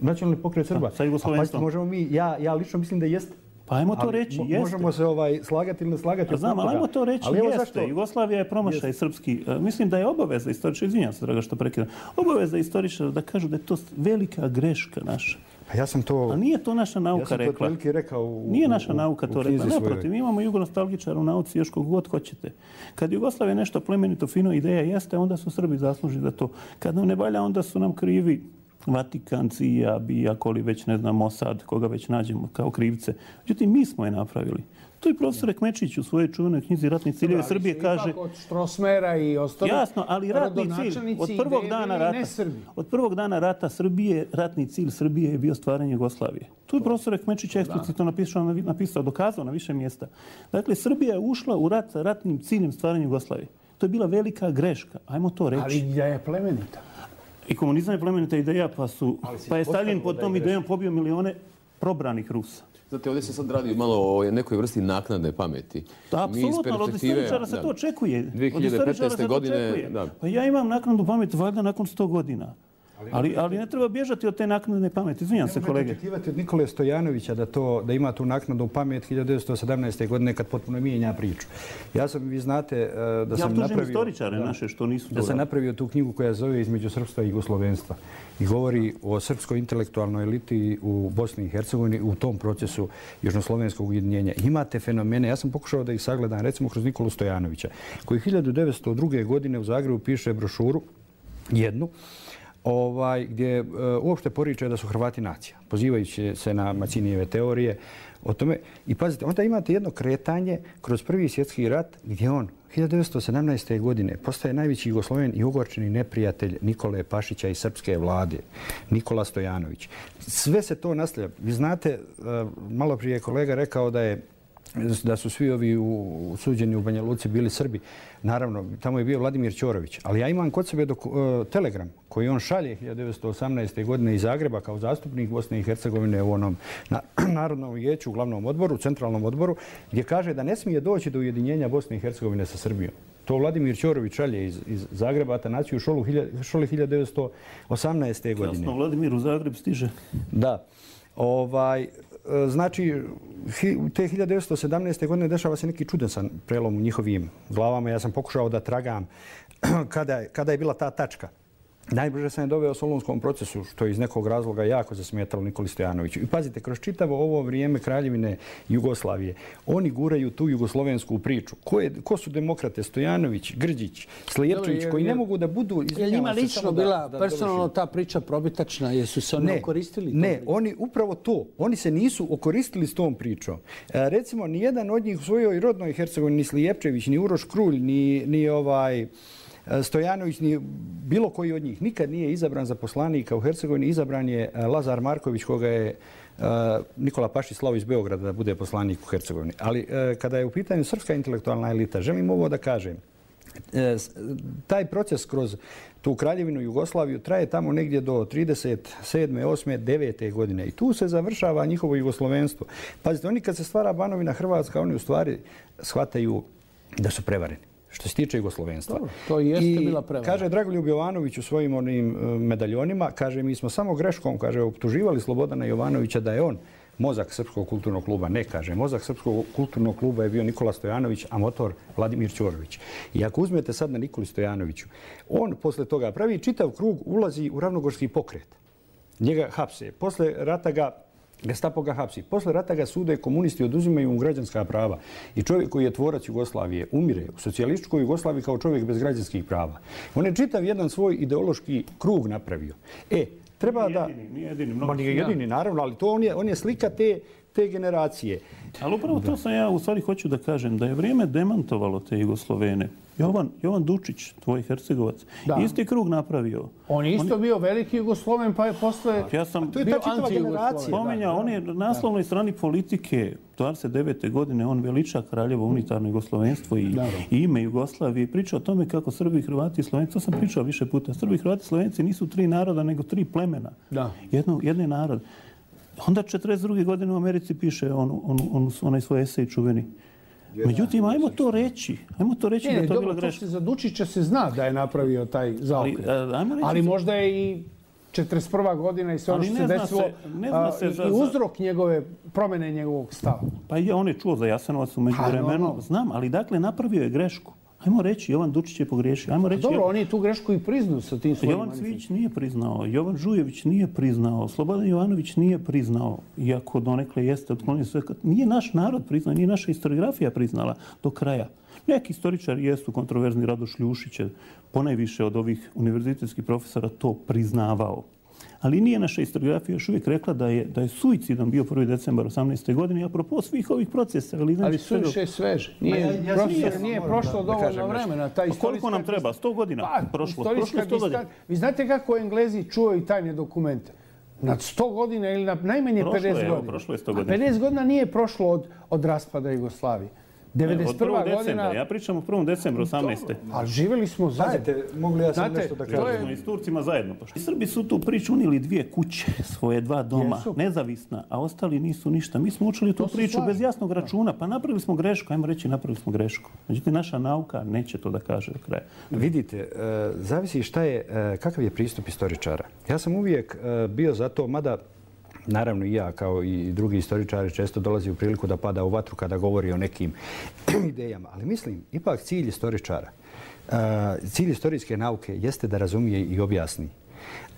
Nacionalni pokret Srba? Sa jugoslovenstvom. Pazite, možemo mi, ja lično mislim da jeste. Pa ajmo to reći, jeste. Možemo se slagati ili ne slagati. Znam, ali ajmo to reći, jeste. Jugoslavija je promašaj srpski. Mislim da je obaveza istoričara, izvinjam se, draga, što prekidam, obaveza istoričara da kažu da je to velika greška naša. Ja sam to... A nije to naša nauka rekla. Ja sam to rekao nije naša nauka to rekla. Naprotiv, mi imamo jugonostalgičara u nauci još kog god hoćete. Kad Jugoslavija nešto plemenito, fino ideja jeste, onda su Srbi zaslužni za to. Kad nam ne valja, onda su nam krivi Vatikan, CIA, BIA, koli već, ne znam, Mossad, koga već nađemo kao krivce. Međutim, mi smo je napravili. To je profesor Ekmečić u svojoj čuvenoj knjizi Ratni ciljevi Srbije kaže... Ipak od Štrosmera i ostalo... Jasno, ali ratni cilj od prvog dana rata Srbije, ratni cilj Srbije je bio stvaranje Jugoslavije. Tu je profesor Ekmečić eksplicitno napisao, dokazao na više mjesta. Dakle, Srbija je ušla u rat sa ratnim ciljem stvaranja Jugoslavije. To je bila velika greška. Ajmo to reći. Ali ideja je plemenita. I komunizam je plemenita ideja, pa je Stalin pod tom idejom pobio milione probranih Rusa. Znate, ovdje se sad radi malo o nekoj vrsti naknadne pameti. Da, apsolutno, od istoričara se to očekuje. 2015. godine... Pa ja imam naknadnu pamet valjda nakon 100 godina. Ali ne treba bježati od te naknadne pameti. Izvinjam se, kolege. Ne očekivati od Nikole Stojanovića da ima tu naknadnu pamet 1917. godine kad potpuno mijenja priču. Vi znate da sam napravio... istoričare naše što nisu... Da sam napravio tu knjigu koja zove Između srpstva i jugoslovenstva. I govori o srpskoj intelektualnoj eliti u Bosni i Hercegovini u tom procesu južnoslovenskog ujedinjenja. Imate fenomene, ja sam pokušao da ih sagledam, recimo kroz Nikolu Stojanovića, koji 1902. godine u Zagrebu piše brošuru, jednu, gdje uopšte poriče da su Hrvati nacija, pozivajući se na Macinijeve teorije. o tome. I pazite, onda imate jedno kretanje kroz Prvi svjetski rat gdje on 1917. godine postaje najveći Jugosloven i ogorčeni neprijatelj Nikole Pašića i srpske vlade, Nikola Stojanović. Sve se to nastavlja. Vi znate, malo prije je kolega rekao da su svi ovi suđeni u Banja Luci bili Srbi. Naravno, tamo je bio Vladimir Ćorović. Ali ja imam kod sebe telegram koji on šalje 1918. godine iz Zagreba kao zastupnik Bosne i Hercegovine u onom Narodnom vijeću, u glavnom odboru, centralnom odboru, gdje kaže da ne smije doći do ujedinjenja Bosne i Hercegovine sa Srbijom. To Vladimir Ćorović šalje iz Zagreba, Atanaciju Šoli 1918. godine. Jasno, Vladimir u Zagreb stiže. Da. Znači, te 1917. godine dešava se neki čudesan prelom u njihovim glavama. Ja sam pokušao da tragam kada je bila ta tačka. Najbrže sam je doveo Solunskom procesu, što je iz nekog razloga jako zasmetalo Nikoli Stojanoviću. I pazite, kroz čitavo ovo vrijeme Kraljevine Jugoslavije, oni guraju tu jugoslovensku priču. Ko su demokrate? Stojanović, Grđić, Slijepčević, koji ne mogu da budu... Je li njima lično bila personalno ta priča probitačna? Jesu se oni okoristili? Ne, oni upravo to. Oni se nisu okoristili s tom pričom. Recimo, nijedan od njih u svojoj rodnoj Hercegovini, ni Slijepčević, ni Uroš Krulj, ni Stojanović, ni bilo koji od njih nikad nije izabran za poslanika u Hercegovini. Izabran je Lazar Marković, koga je Nikola Pašić slao iz Beograda da bude poslanik u Hercegovini. Ali kada je u pitanju srpska intelektualna elita, želim ovo da kažem. Taj proces kroz tu Kraljevinu Jugoslaviju traje tamo negdje do 37. 8. 9. godine. I tu se završava njihovo jugoslovenstvo. Pazite, oni kad se stvara Banovina Hrvatska, oni u stvari shvataju da su prevareni što se tiče jugoslovenstva. Dobro, to jeste bila prevara. Kaže Dragoljub Jovanović u svojim onim medaljonima, kaže, mi smo samo greškom, kaže, optuživali Slobodana Jovanovića da je on mozak Srpskog kulturnog kluba. Ne, kaže, mozak Srpskog kulturnog kluba je bio Nikola Stojanović, a motor Vladimir Ćorović. I ako uzmete sad na Nikoli Stojanoviću, on posle toga pravi čitav krug, ulazi u ravnogorski pokret. Njega hapse. Posle rata Gestapo ga hapsi. Posle rata ga sude komunisti, oduzimaju mu građanska prava. I čovjek koji je tvorac Jugoslavije umire u socijalističkoj Jugoslaviji kao čovjek bez građanskih prava. On je čitav jedan svoj ideološki krug napravio. Treba da... Nije jedini. Nije jedini, naravno, ali to on je slika te generacije. Ali upravo to sam ja u stvari hoću da kažem, da je vrijeme demantovalo te Jugoslovene. Jovan Dučić, tvoj Hercegovac, isti krug napravio. On je isto bio veliki Jugosloven, pa je posle bio anti-Jugosloven. Spominjao, on je na naslovnoj strani Politike 29. godine, on veliča Kraljevo unitarno jugoslovenstvo i ime Jugoslavije. Priča o tome kako Srbi, Hrvati i Slovenci, to sam pričao više puta, Srbi, Hrvati i Slovenci nisu 3 naroda, nego 3 plemena. Jedni narod. Onda 42. godine u Americi piše onaj svoj esej čuveni. Međutim, ajmo to reći da je to bila greška. Za Dučića se zna da je napravio taj zaokret. Ali možda je i 41. godina i sve ono što se desilo i uzrok promjene njegovog stava. Pa on je čuo za Jasenovac u međuvremenu. Znam, ali dakle napravio je grešku. Ajmo reći, Jovan Dučić je pogriješio. Dobro, on je tu grešku i priznao sa tim svojim manifestom. Jovan Cvijić nije priznao, Jovan Žujević nije priznao, Slobodan Jovanović nije priznao, iako donekle jeste otklonio sve. Nije naš narod priznao, nije naša historiografija priznala do kraja. Neki istoričari jesu kontroverzni, Radoš Ljušić je ponajviše od ovih univerzitetskih profesora to priznavao. Ali nije naša historiografija još uvijek rekla da je suicidom bio 1. decembar 18. godine, apropo svih ovih procesa. Ali suviše je sveže. Nije prošlo dovoljno vremena. Koliko nam treba? 100 godina prošlo. Vi znate kako Englezi čuvaju tajne dokumente? Nad 100 godina ili na najmanje 50 godina. Prošlo je 100 godina. 50 godina nije prošlo od raspada Jugoslavije. 91. godina... Ja pričam o 1. decembru 18. Ali živjeli smo zajedno. Mogli ja sam nešto da kažem. I s Turcima zajedno. Srbi su tu priču unijeli 2 kuće, svoje 2 doma, nezavisna, a ostali nisu ništa. Mi smo učili tu priču bez jasnog računa, pa napravili smo grešku. Ajmo reći, napravili smo grešku. Međutim, naša nauka neće to da kaže do kraja. Vidite, zavisi kakav je pristup istoričara. Ja sam uvijek bio za to, mada naravno i ja kao i drugi istoričari često dolazi u priliku da pada u vatru kada govori o nekim idejama. Ali mislim, ipak cilj istoričara, cilj istorijske nauke jeste da razumije i objasni,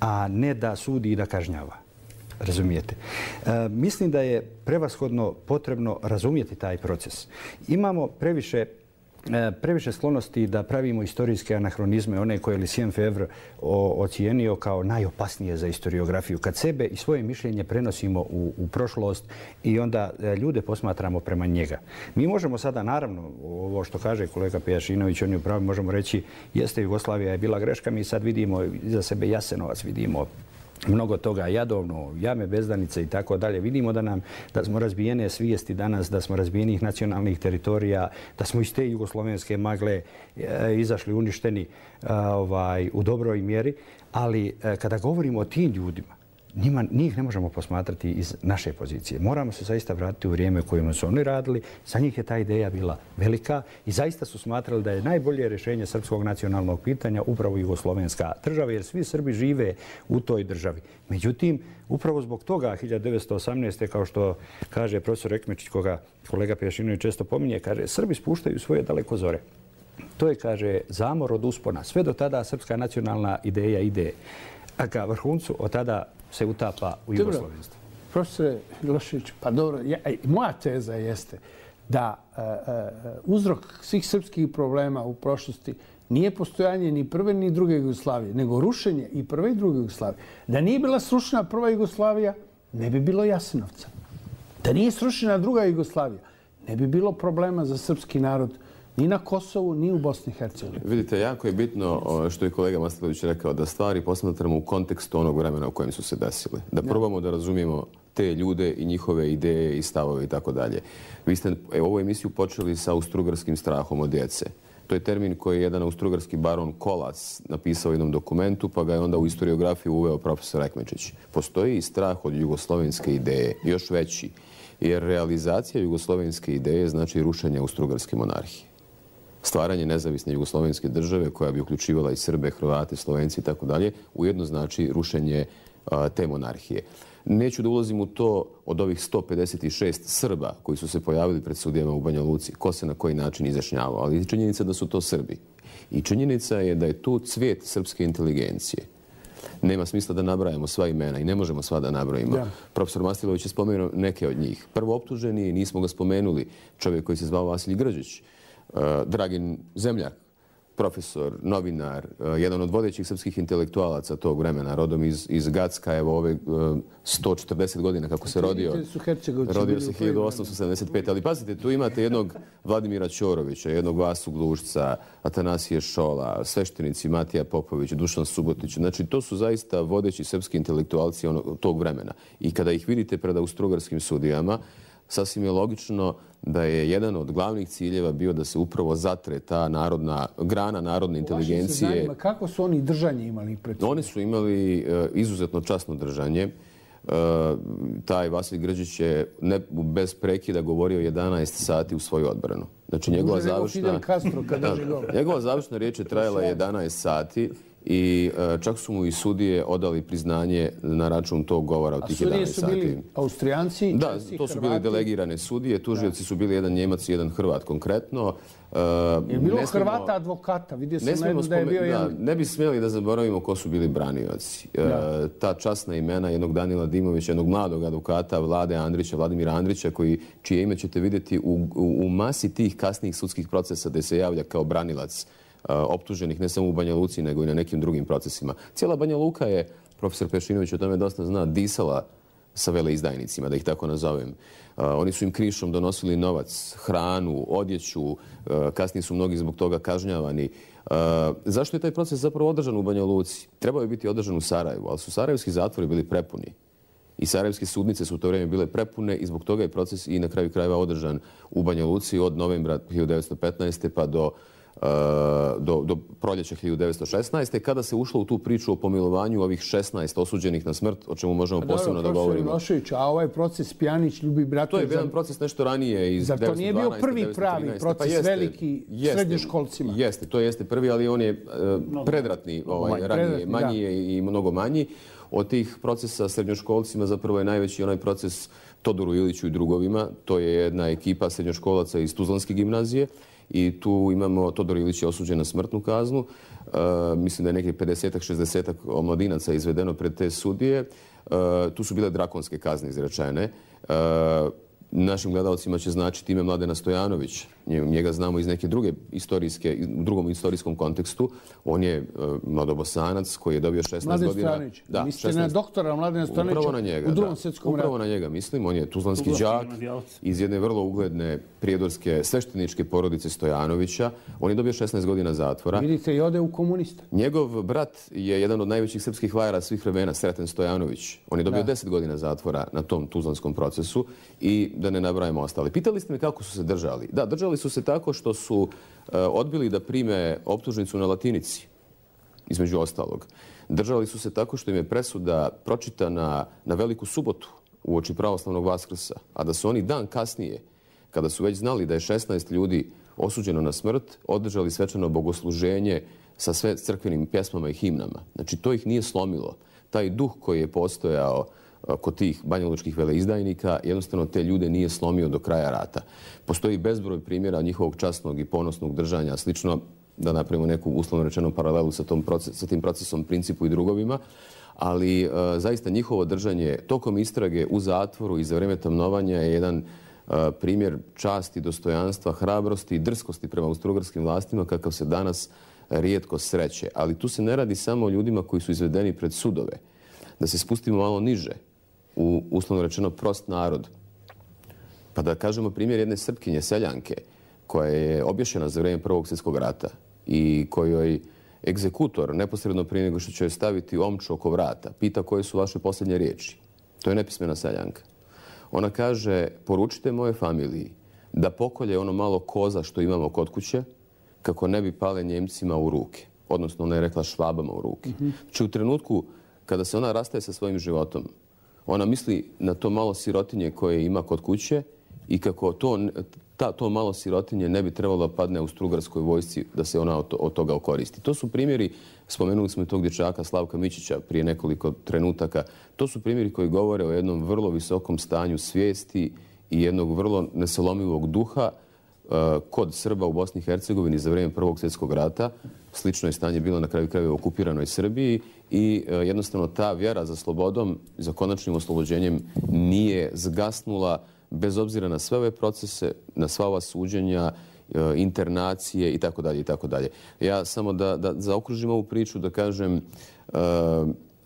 a ne da sudi i da kažnjava. Razumijete? Mislim da je prevashodno potrebno razumjeti taj proces. Imamo previše previše sklonosti da pravimo istorijske anahronizme, one koje je Lucien Febvre ocijenio kao najopasnije za historiografiju. Kad sebe i svoje mišljenje prenosimo u prošlost i onda ljude posmatramo prema njega. Mi možemo sada, naravno, ovo što kaže kolega Pejašinović, on je upravo, možemo reći, jeste Jugoslavija je bila greška, mi sad vidimo iza sebe Jasenovac, vidimo mnogo toga, Jadovno, Jame Bezdanice i tako dalje. Vidimo da smo razbijene svijesti danas, da smo razbijenih nacionalnih teritorija, da smo iz te jugoslovenske magle izašli uništeni u dobroj mjeri. Ali kada govorimo o tim ljudima, njih ne možemo posmatrati iz naše pozicije. Moramo se zaista vratiti u vrijeme u kojem su oni radili. Za njih je ta ideja bila velika i zaista su smatrali da je najbolje rješenje srpskog nacionalnog pitanja upravo jugoslovenska država, jer svi Srbi žive u toj državi. Međutim, upravo zbog toga 1918. kao što kaže profesor Ekmečić, koga kolega Pejašinović često pominje, kaže Srbi spuštaju svoje dalekozore. To je, kaže, zamor od uspona. Sve do tada srpska nacionalna ideja ide ka vrhuncu, od tada se utapa u jugoslovenstvo. Profesore Milošević, pa dobro, moja teza jeste da uzrok svih srpskih problema u prošlosti nije postojanje ni prve ni druge Jugoslavije, nego rušenje i prve i druge Jugoslavije. Da nije bila srušena prva Jugoslavija, ne bi bilo Jasenovca. Da nije srušena druga Jugoslavija, ne bi bilo problema za srpski narod ni na Kosovu, ni u Bosni i Hercegovini. Vidite, jako je bitno što je kolega Mastatović rekao, da stvari posmatramo u kontekstu onog vremena u kojem su se desile. Da probamo da razumijemo te ljude i njihove ideje i stavove i tako dalje. Vi ste ovu emisiju počeli sa austrougarskim strahom od djece. To je termin koji je jedan austrougarski baron Kolac napisao u jednom dokumentu, pa ga je onda u historiografiju uveo profesor Ekmečić. Postoji i strah od jugoslovenske ideje, još veći, jer realizacija jugoslovenske ideje znači rušenje austrougarske monarhije. Stvaranje nezavisne jugoslovenske države koja bi uključivala i Srbe, Hrvate, Slovenci i tako dalje, ujedno znači rušenje te monarhije. Neću da ulazim u to od ovih 156 Srba koji su se pojavili pred sudijama u Banja Luci, ko se na koji način izjašnjavao, ali činjenica da su to Srbi. I činjenica je da je tu cvijet srpske inteligencije. Nema smisla da nabrajamo sva imena i ne možemo sva da nabrojimo. Ja. Profesor Mastilović je spomenuo neke od njih. Prvo optuženi, nismo ga spomenuli, čovjek koji se zvao Vasilij Grđić, Dragin Zemljak, profesor, novinar, jedan od vodećih srpskih intelektualaca tog vremena, rodom iz Gacka, evo ove 140 godina kako se rodio. Rodio se 1875. Ali pazite, tu imate jednog Vladimira Ćorovića, jednog Vasu Glušca, Atanasije Šola, sveštenici Matija Popović, Dušan Subotić. Znači, to su zaista vodeći srpski intelektualci tog vremena. I kada ih vidite pred austrougarskim sudijama, sasvim je logično da je jedan od glavnih ciljeva bio da se upravo zatre ta grana narodne inteligencije. Kako su oni držanje imali pred sobom? Oni su imali izuzetno časno držanje. Taj Vasilij Grđić je bez prekida govorio 11 sati u svoju odbranu. Znači, njegova završna riječ je trajala 11 sati. I čak su mu i sudije odali priznanje na račun tog govora od tih 11 sati. A sudije su bili Austrijanci? Da, to su bili delegirane sudije. Tužioci su bili jedan Njemac i jedan Hrvat konkretno. Je bilo Hrvata advokata? Vidio sam najedno da je bio jedan... Ne bi smjeli da zaboravimo ko su bili branioci. Ta časna imena jednog Danila Dimovića, jednog mladog advokata Vladimira Andrića, čije ime ćete vidjeti u masi tih kasnijih sudskih procesa gdje se javlja kao branilac optuženih ne samo u Banja Luci, nego i na nekim drugim procesima. Cijela Banja Luka je, profesor Pešinović o tome dosta zna, disala sa veleizdajnicima, da ih tako nazovem. Oni su im krišom donosili novac, hranu, odjeću, kasnije su mnogi zbog toga kažnjavani. Zašto je taj proces zapravo održan u Banja Luci? Trebao je biti održan u Sarajevu, ali su sarajevski zatvori bili prepuni. I sarajevske sudnice su u to vrijeme bile prepune i zbog toga je proces i na kraju krajeva održan u Banja Luci od novembra 1915. pa do proljeća 1916. kada se ušlo u tu priču o pomilovanju ovih 16 osuđenih na smrt, o čemu možemo posebno da govorimo. A ovaj proces Pjanić, Ljubi Bratović... To je jedan proces nešto ranije iz 1912. Zar to nije bio prvi pravi proces veliki srednjoškolcima? Jeste, to jeste prvi, ali on je predratni, ranije, manji je i mnogo manji. Od tih procesa srednjoškolcima zapravo je najveći onaj proces Todoru Iliću i drugovima. To je jedna ekipa srednjoškolaca iz Tuzlanske gimnazije. I tu imamo, Todor Ilić je osuđen na smrtnu kaznu. Mislim da je nekih 50-60 omladinaca izvedeno pred te sudije. Tu su bile drakonske kazne izrečene. Našim gledalcima će značiti ime Mladena Stojanović. Njega znamo iz neke druge u drugom istorijskom kontekstu. On je mladobosanac koji je dobio 16 Mladen godina. Stojanović. Mislite na doktora Mladena Stojanovića u drugom svjetskom ratu. Upravo na njega mislim. On je tuzlanski đak iz jedne vrlo ugledne prijedorske svešteničke porodice Stojanovića. On je dobio 16 godina zatvora. Vidite, i ode u komunista. Njegov brat je jedan od najvećih srpskih vajara svih vremena, Sreten Stojanović. On je dobio 10 godina zatvora na tom tuzlanskom procesu i da ne nabrajamo ostale. Pitali ste me kako su se držali. Da, držali su se tako što su odbili da prime optužnicu na latinici, između ostalog. Držali su se tako što im je presuda pročitana na Veliku subotu uoči pravoslavnog Vaskrsa, a da su oni dan kasnije, kada su već znali da je 16 ljudi osuđeno na smrt, održali svečano bogosluženje sa sve crkvenim pjesmama i himnama. Znači, to ih nije slomilo. Taj duh koji je postojao kod tih banjalučkih veleizdajnika jednostavno te ljude nije slomio do kraja rata. Postoji bezbroj primjera njihovog časnog i ponosnog držanja, slično da napravimo neku uslovno rečenu paralelu sa tim procesom, Principu i drugovima, ali zaista njihovo držanje tokom istrage u zatvoru i za vrijeme tamnovanja je jedan primjer časti, dostojanstva, hrabrosti i drskosti prema austrougarskim vlastima kakav se danas rijetko sreće. Ali tu se ne radi samo o ljudima koji su izvedeni pred sudove. Da se spustimo malo niže, u uslovno rečeno prost narod. Pa da kažemo primjer jedne Srpkinje, seljanke, koja je obješena za vrijeme Prvog svjetskog rata i kojoj egzekutor, neposredno prije nego što će joj staviti omču oko vrata, pita koje su vaše posljednje riječi. To je nepismena seljanka. Ona kaže, poručite moje familiji da pokolje ono malo koza što imamo kod kuće, kako ne bi pale Njemcima u ruke. Odnosno, ona je rekla Švabama u ruke. Znači, u trenutku kada se ona rastaje sa svojim životom, ona misli na to malo sirotinje koje ima kod kuće i kako to malo sirotinje ne bi trebalo da padne u Austrougarskoj vojsci da se ona od toga okoristi. To su primjeri, spomenuli smo i tog dječaka Slavka Mićića prije nekoliko trenutaka, to su primjeri koji govore o jednom vrlo visokom stanju svijesti i jednog vrlo nesalomivog duha kod Srba u Bosni i Hercegovini za vrijeme Prvog svjetskog rata. Slično je stanje bilo na kraju krajeva u okupiranoj Srbiji i jednostavno ta vjera za slobodom, za konačnim oslobođenjem nije zgasnula bez obzira na sve ove procese, na sva ova suđenja, internacije itd. itd. Ja samo da zaokružim ovu priču, da kažem,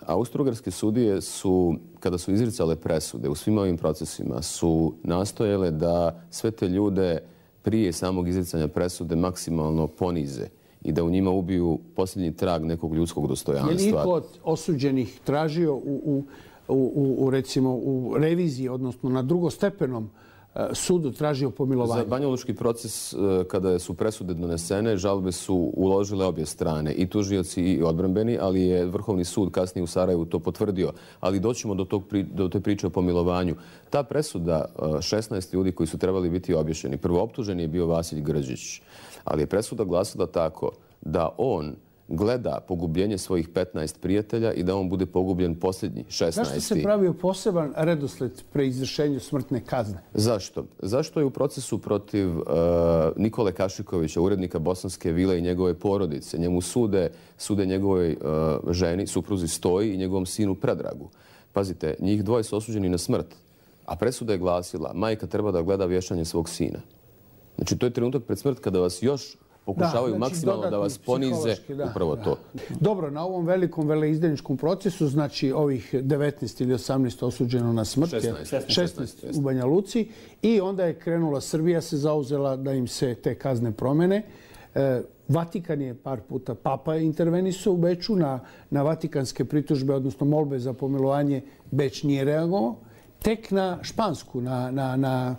austrougarske sudije su, kada su izricale presude u svim ovim procesima, su nastojale da sve te ljude prije samog izricanja presude maksimalno ponize i da u njima ubiju posljednji trag nekog ljudskog dostojanstva. Je li niko od osuđenih tražio recimo u reviziji, odnosno na drugostepenom sudu tražio pomilovanje? Za banjalučki proces, kada su presude donesene, žalbe su uložile obje strane, i tužioci i odbrambeni, ali je Vrhovni sud kasnije u Sarajevu to potvrdio. Ali doćemo do te priče o pomilovanju. Ta presuda 16 ljudi koji su trebali biti obješeni, prvo optuženi je bio Vasilj Grđić, ali je presuda glasila tako da on gleda pogubljenje svojih 15 prijatelja i da on bude pogubljen posljednji, 16. Zašto se pravio poseban redosled pre izvršenju smrtne kazne? Zašto? Zašto je u procesu protiv Nikole Kašikovića, urednika Bosanske vile i njegove porodice, njemu sude njegovoj ženi, supruzi Stoji i njegovom sinu Predragu. Pazite, njih dvoje su osuđeni na smrt, a presuda je glasila, majka treba da gleda vješanje svog sina. Znači, to je trenutak pred smrt kada vas još pokušavaju maksimalno da vas ponize, upravo to. Dobro, na ovom velikom veleizdajničkom procesu, znači ovih 19 ili 18 osuđeno na smrt, 16 u Banja Luci, i onda je krenula Srbija, se zauzela da im se te kazne promene. Vatikan je par puta, Papa je intervenisao u Beču na vatikanske pritužbe, odnosno molbe za pomilovanje, Beč nije reagovao. Tek na Špansku, na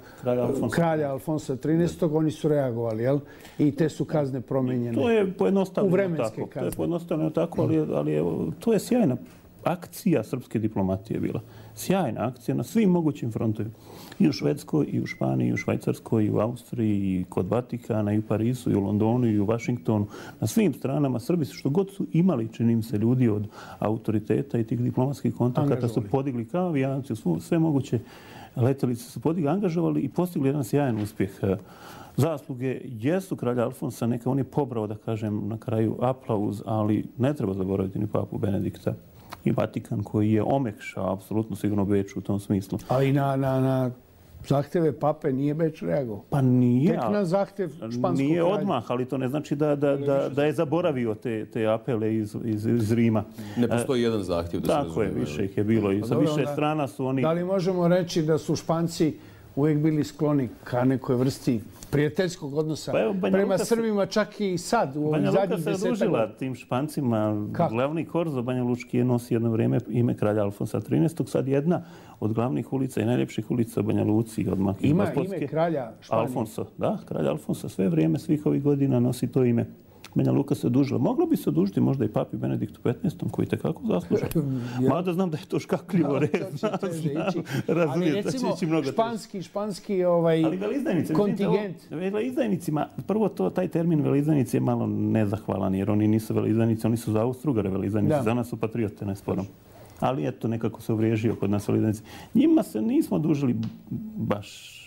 kralja Alfonsa XIII. Oni su reagovali, jel? I te su kazne promijenjene. To je pojednostavljeno tako. To je pojednostavljeno tako, ali to je sjajna akcija srpske diplomatije bila. Sjajna akcija na svim mogućim frontovima. I u Švedskoj, i u Španiji, i u Švajcarskoj, i u Austriji, i kod Vatikana, i u Parisu, i u Londonu, i u Vašingtonu. Na svim stranama Srbi su što god su imali, čini im se, ljudi od autoriteta i tih diplomatskih kontakata su podigli kao avijanci, sve moguće letelice su podigli, angažovali i postigli jedan sjajan uspjeh. Zasluge jesu kralja Alfonsa, neka on je pobrao, da kažem, na kraju aplauz, ali ne treba zaboraviti ni papu Benedikta i Vatikan koji je omekšao apsolutno sigurno Beč u tom smislu. Ali na zahteve pape nije Beč reagovao. Pa nije. Tek na zahtev španskog Nije kralja. odmah, ali to ne znači da je zaboravio te apele iz Rima. Ne postoji jedan zahtjev da se Tako je, više ih je bilo i sa dobro, više strana su oni... Da li možemo reći da su Španci uvijek bili skloni ka nekoj vrsti prijateljskog odnosa Pa evo, Banja prema Luka se- Srbima, čak i sad u ovih Banja Luka zadnjih se 10 odužila godina? tim Špancima. Kako? Glavni korzo Banja Lučki je nosi jedno vrijeme ime kralja Alfonsa XIII. Sad jedna od glavnih ulica i najljepših ulica u Banja Luci. Odmah iz Ima Gospodske. ime kralja Španije. Alfonso, da, kralj Alfonso sve vrijeme, svih ovih godina nosi to ime. Banja Luka se odužila. Moglo bi se odužiti možda i papi Benediktu XV, koji tekako zasluža. Mada znam da je to škakljivo red. Ali recimo španski Ali veleizdajnici, kontingent. veleizdajnicima, prvo taj termin veleizdajnici je malo nezahvalan, jer oni nisu veleizdajnici, oni su za Austro-Ugare veleizdajnici, Da. za nas su patriote, ne sporom. Ali eto, nekako se uvriježio kod nas veleizdajnici. Njima se nismo dužili baš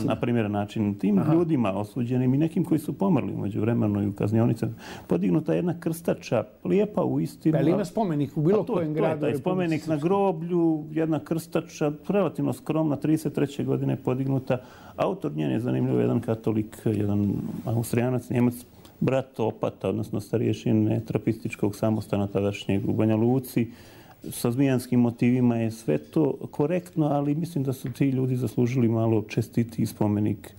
na primjeren način. Tim ljudima osuđenim i nekim koji su pomrli umeđu vremenu i u kaznionicama. Podignuta jedna krstača, lijepa u istinu. Ali ima spomenik u bilo kojem gradu? To je taj spomenik na groblju, jedna krstača, relativno skromna, 33. godine podignuta. Autor njen je zanimljivo, jedan katolik, jedan Austrijanac, Njemac, brat opata, odnosno starješine trapističkog samostana tadašnjeg u Banja Luci. Sa zmijanskim motivima je sve to korektno, ali mislim da su ti ljudi zaslužili malo čestiti spomenik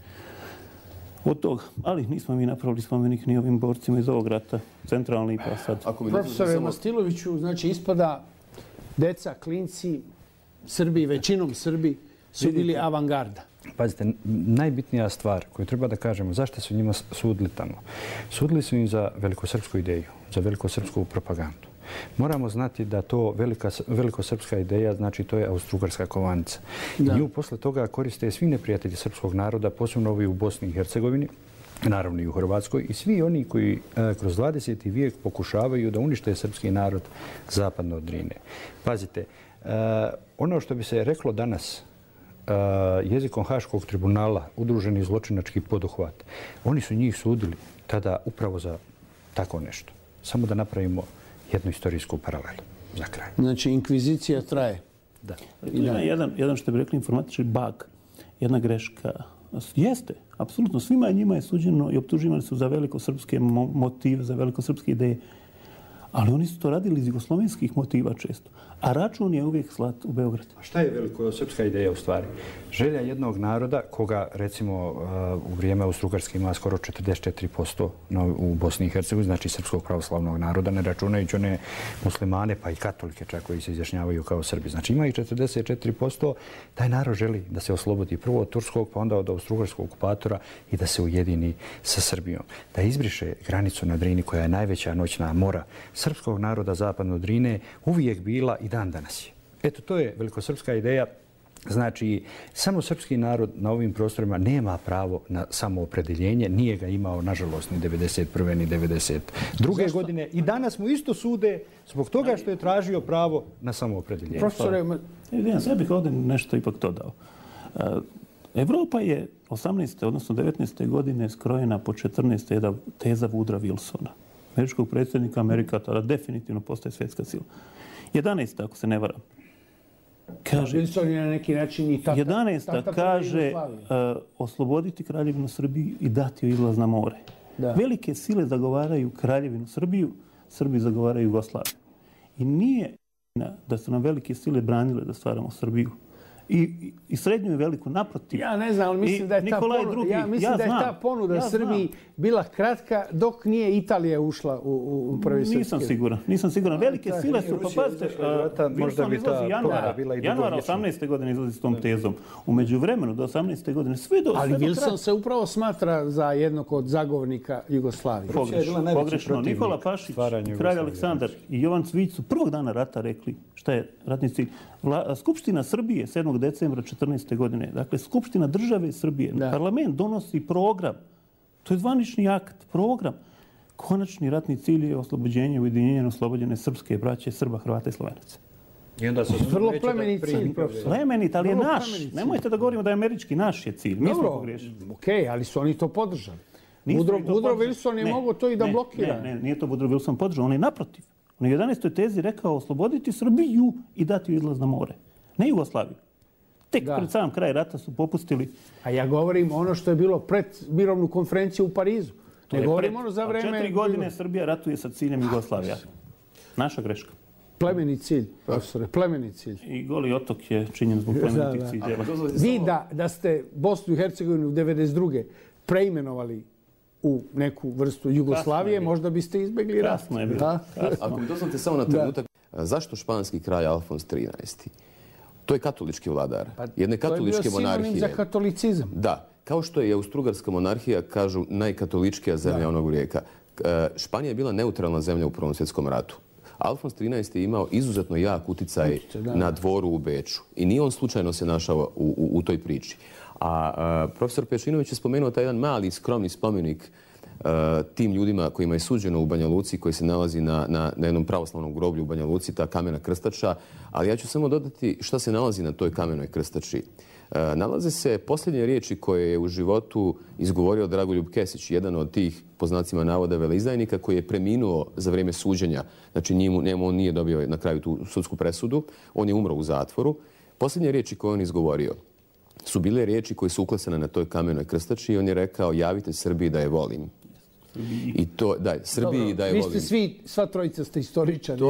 od toga. Ali nismo mi napravili spomenik ni ovim borcima iz ovog rata, centralni pa sad. Profesore Mastiloviću, znači ispada deca, klinci, Srbi, većinom Srbi, su bili avangarda. Pazite, najbitnija stvar koju treba da kažemo, zašto su njima sudili tamo? Sudili su im za velikosrpsku ideju, za velikosrpsku propagandu. Moramo znati da to velikosrpska ideja, znači to je Austro-Ugarska kovanica. Nju posle toga koriste svi neprijatelji srpskog naroda, posebno ovi u Bosni i Hercegovini, naravno i u Hrvatskoj, i svi oni koji kroz 20. vijek pokušavaju da unište srpski narod zapadno od Drine. Pazite, ono što bi se reklo danas, jezikom Haškog tribunala, udruženi zločinački poduhvat, oni su njih sudili tada upravo za tako nešto. Samo da napravimo jednu istorijsku paralelu za kraj. Znači, inkvizicija traje. Da. Jedan što bi rekli informatički bug, jedna greška. Jeste, apsolutno. Svima njima je suđeno i optuživani su za velikosrpske motive, za velikosrpske ideje. Ali oni su to radili iz jugoslovenskih motiva često. A račun je uvijek slat u Beograd. A šta je velikosrpska ideja u stvari? Želja jednog naroda koga, recimo, u vrijeme Austro-Ugarske ima skoro 44% u Bosni i Hercegovini, znači srpskog pravoslavnog naroda, ne računajući one muslimane, pa i katolike čak koji se izjašnjavaju kao Srbi. Znači ima ih 44%. Taj narod želi da se oslobodi prvo od turskog, pa onda od austro-ugarskog okupatora i da se ujedini sa Srbijom. Da izbriše granicu na Drini koja je najveća noćna mora srpskog naroda zapadno od Drine, uvijek bila i dan danas je. Eto, to je velikosrpska ideja. Znači, samo srpski narod na ovim prostorima nema pravo na samoopredeljenje. Nije ga imao, nažalost, ni 1991. ni 1992. godine. I danas mu isto sude zbog toga što je tražio pravo na samoopredeljenje. Profesore, ja bih ovdje nešto ipak dodao. Evropa je 18. odnosno 19. godine skrojena po 14. teza Woodrowa Wilsona, američkog predsjednika Amerika, tada definitivno postaje svjetska sila. 11. ako se ne varam. Kaže, Wilson je na neki način i tata. 11. kaže osloboditi Kraljevinu Srbiju i dati joj izlaz na more. Da. Velike sile zagovaraju Kraljevinu Srbiju, Srbi zagovaraju Jugoslaviju. I nije da su nam velike sile branile da stvaramo Srbiju. I srednju i veliku, naprotiv. Ja ne znam, ali mislim da je ta ponuda Srbiji bila kratka dok nije Italija ušla u prvi srpski. Nisam siguran. Velike sile su, pa pazite, Wilson izlazi januara 18. godine izlazi s tom tezom. U međuvremenu do 18. godine sve do Ali Wilson se upravo smatra za jednog od zagovornika Jugoslavije. Pogrešno. Nikola Pašić, kralj Aleksandar i Jovan Cvijić su prvog dana rata rekli šta je ratni cilj. Skupština Srbije 7. decembra 14. godine, dakle Skupština države Srbije, parlament donosi program, to je zvanični akt, program. Konačni ratni cilj je oslobođenje ujedinjenja oslobođene srpske braće, Srba, Hrvata i Slovenaca. Vrlo plemenit cilj, profesor. Plemenit, ali je naš. Nemojte da govorimo da je američki, naš je cilj. Mi smo pogriješili. Okej, ali su oni to podržali. Woodrow Wilson je mogao to i da blokira. Ne, nije to Woodrow Wilson podržao, on je naprotiv. On je u 11. tezi rekao osloboditi Srbiju i dati joj izlaz na more. Ne Jugoslaviju. Tek pred sam kraj rata su popustili. A ja govorim ono što je bilo pred mirovnu konferenciju u Parizu. Ne govorim ono za vreme... 4 godine Srbija ratuje sa ciljem Jugoslavija. Naša greška. Plemeni cilj, profesore, plemeni cilj. I Goli otok je činjen zbog plemenitih ciljeva. Vi da ste Bosnu i Hercegovinu 1992. preimenovali u neku vrstu Jugoslavije, možda biste izbjegli rat. Kasno je bilo. Ako mi dozvolite samo na trenutak, zašto španski kralj Alfons XIII? To je katolički vladar jedne katoličke monarhije. To je bio sinonim za katolicizam. Da, kao što je Austrougarska monarhija, kažu, najkatoličkija zemlja onog vijeka. Španija je bila neutralna zemlja u Prvom svjetskom ratu. Alfons XIII je imao izuzetno jak uticaj na dvoru u Beču. I nije on slučajno se našao u toj priči. A profesor Pešinović je spomenuo taj jedan mali, skromni spomenik tim ljudima kojima je suđeno u Banja Luci, koji se nalazi na jednom pravoslavnom groblju u Banja Luci, ta kamena krstača. Ali ja ću samo dodati šta se nalazi na toj kamenoj krstači. Nalaze se posljednje riječi koje je u životu izgovorio Dragoljub Kesić, jedan od tih, po znacima navoda, veleizdajnika koji je preminuo za vrijeme suđenja. Znači, on nije dobio na kraju tu sudsku presudu, on je umro u zatvoru. Posljednje riječi koje on izgovorio su bile riječi koje su uklesane na toj kamenoj krstači i on je rekao: javite Srbiji da je volim. I to, da, Srbiji da je volim. Vi ste sva trojica ste istoričari.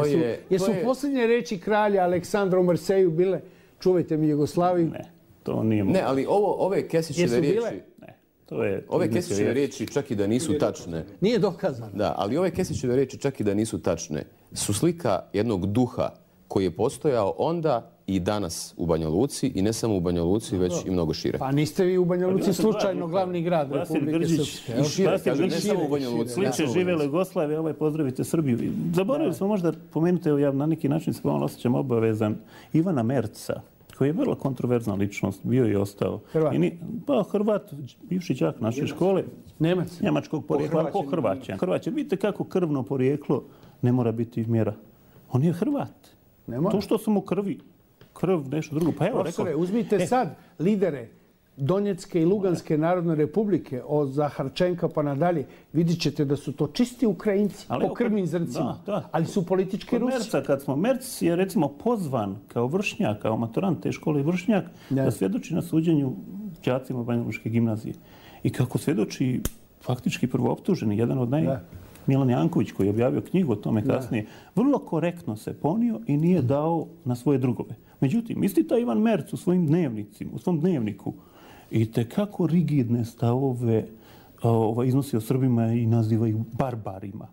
Jesu posljednje riječi kralja Aleksandra u Marseju bile čuvajte mi Jugoslaviju? Ne, to nije moguće. Ne, ali ove Kesićeve riječi... Ne, to je... Ove Kesićeve riječi, čak i da nisu tačne... Nije dokazano. Da, ali ove Kesićeve riječi, čak i da nisu tačne, su slika jednog duha koji je postojao onda i danas u Banja Luci, i ne samo u Banja Luci, već i mnogo šire. Pa niste vi u Banja Luci slučajno glavni grad Republike Srpske. I šire, kažem, ne samo u Banja Luci. Sliče živjela Jugoslavija, pozdravite Srbiju. Zaboravili smo možda pomenuti, evo ja na neki način se pomalo osjećam obavezan, Ivana Merca, koji je vrlo kontroverzna ličnost, bio i ostao. Hrvat? Pa Hrvat, bivši đak naše škole. Nemac? Njemačkog porijekla, po Hrvaćan. Hrvaćan. Vidite kako krvno porijeklo ne mora biti mjera. On je Hrvat. To što su mu krv, nešto drugo. Pa evo, rekao... Uzmite sad lidere Donjecke i Luganske narodne republike, od Zaharčenka pa nadalje, vidit ćete da su to čisti Ukrajinci, po krvnim zrncima, ali su politički Rusi. Merc je recimo pozvan kao vršnjak, kao maturant te škole vršnjak, da svjedoči na suđenju đacima Banja Lučke gimnazije. I kako svjedoči faktički prvooptuženi, jedan od Milan Janković, koji je objavio knjigu o tome kasnije, vrlo korektno se ponio i nije dao na svoje drugove. Međutim, isti taj Ivan Merc u svojim dnevnicima, u svom dnevniku, i tekako rigidne stavove iznosi o Srbima i naziva ih barbarima.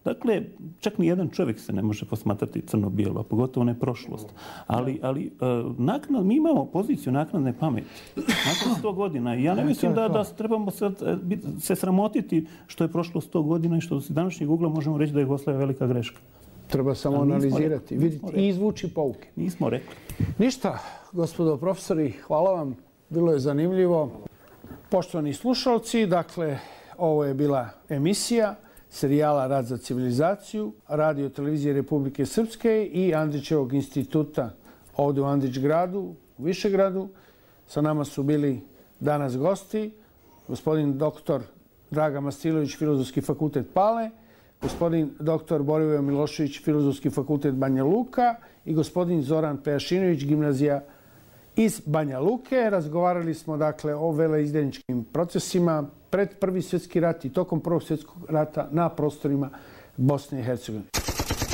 Dakle, čak ni jedan čovjek se ne može posmatrati crno-bijelo, a pogotovo ne prošlost. Ali mi imamo poziciju naknadne pameti. Nakon 100 godina. I ja ne mislim da trebamo se sramotiti što je prošlo 100 godina i što s današnjeg ugla možemo reći da je Jugoslavija velika greška. Treba samo analizirati, vidjeti i izvući pouke. Nismo rekli. Ništa, gospodo profesori, hvala vam. Bilo je zanimljivo. Poštovani slušalci, dakle, ovo je bila emisija serijala Rad za civilizaciju, Radio televizije Republike Srpske i Andrićevog instituta ovdje u Andrićgradu, u Višegradu. Sa nama su bili danas gosti, gospodin doktor Draga Mastilović, Filozofski fakultet Pale, gospodin doktor Borivoje Milošević, Filozofski fakultet Banja Luka i gospodin Zoran Pejašinović, gimnazija iz Banja Luke. Razgovarali smo dakle o veleizdajničkim procesima pred Prvi svjetski rat i tokom Prvog svjetskog rata na prostorima Bosne i Hercegovine.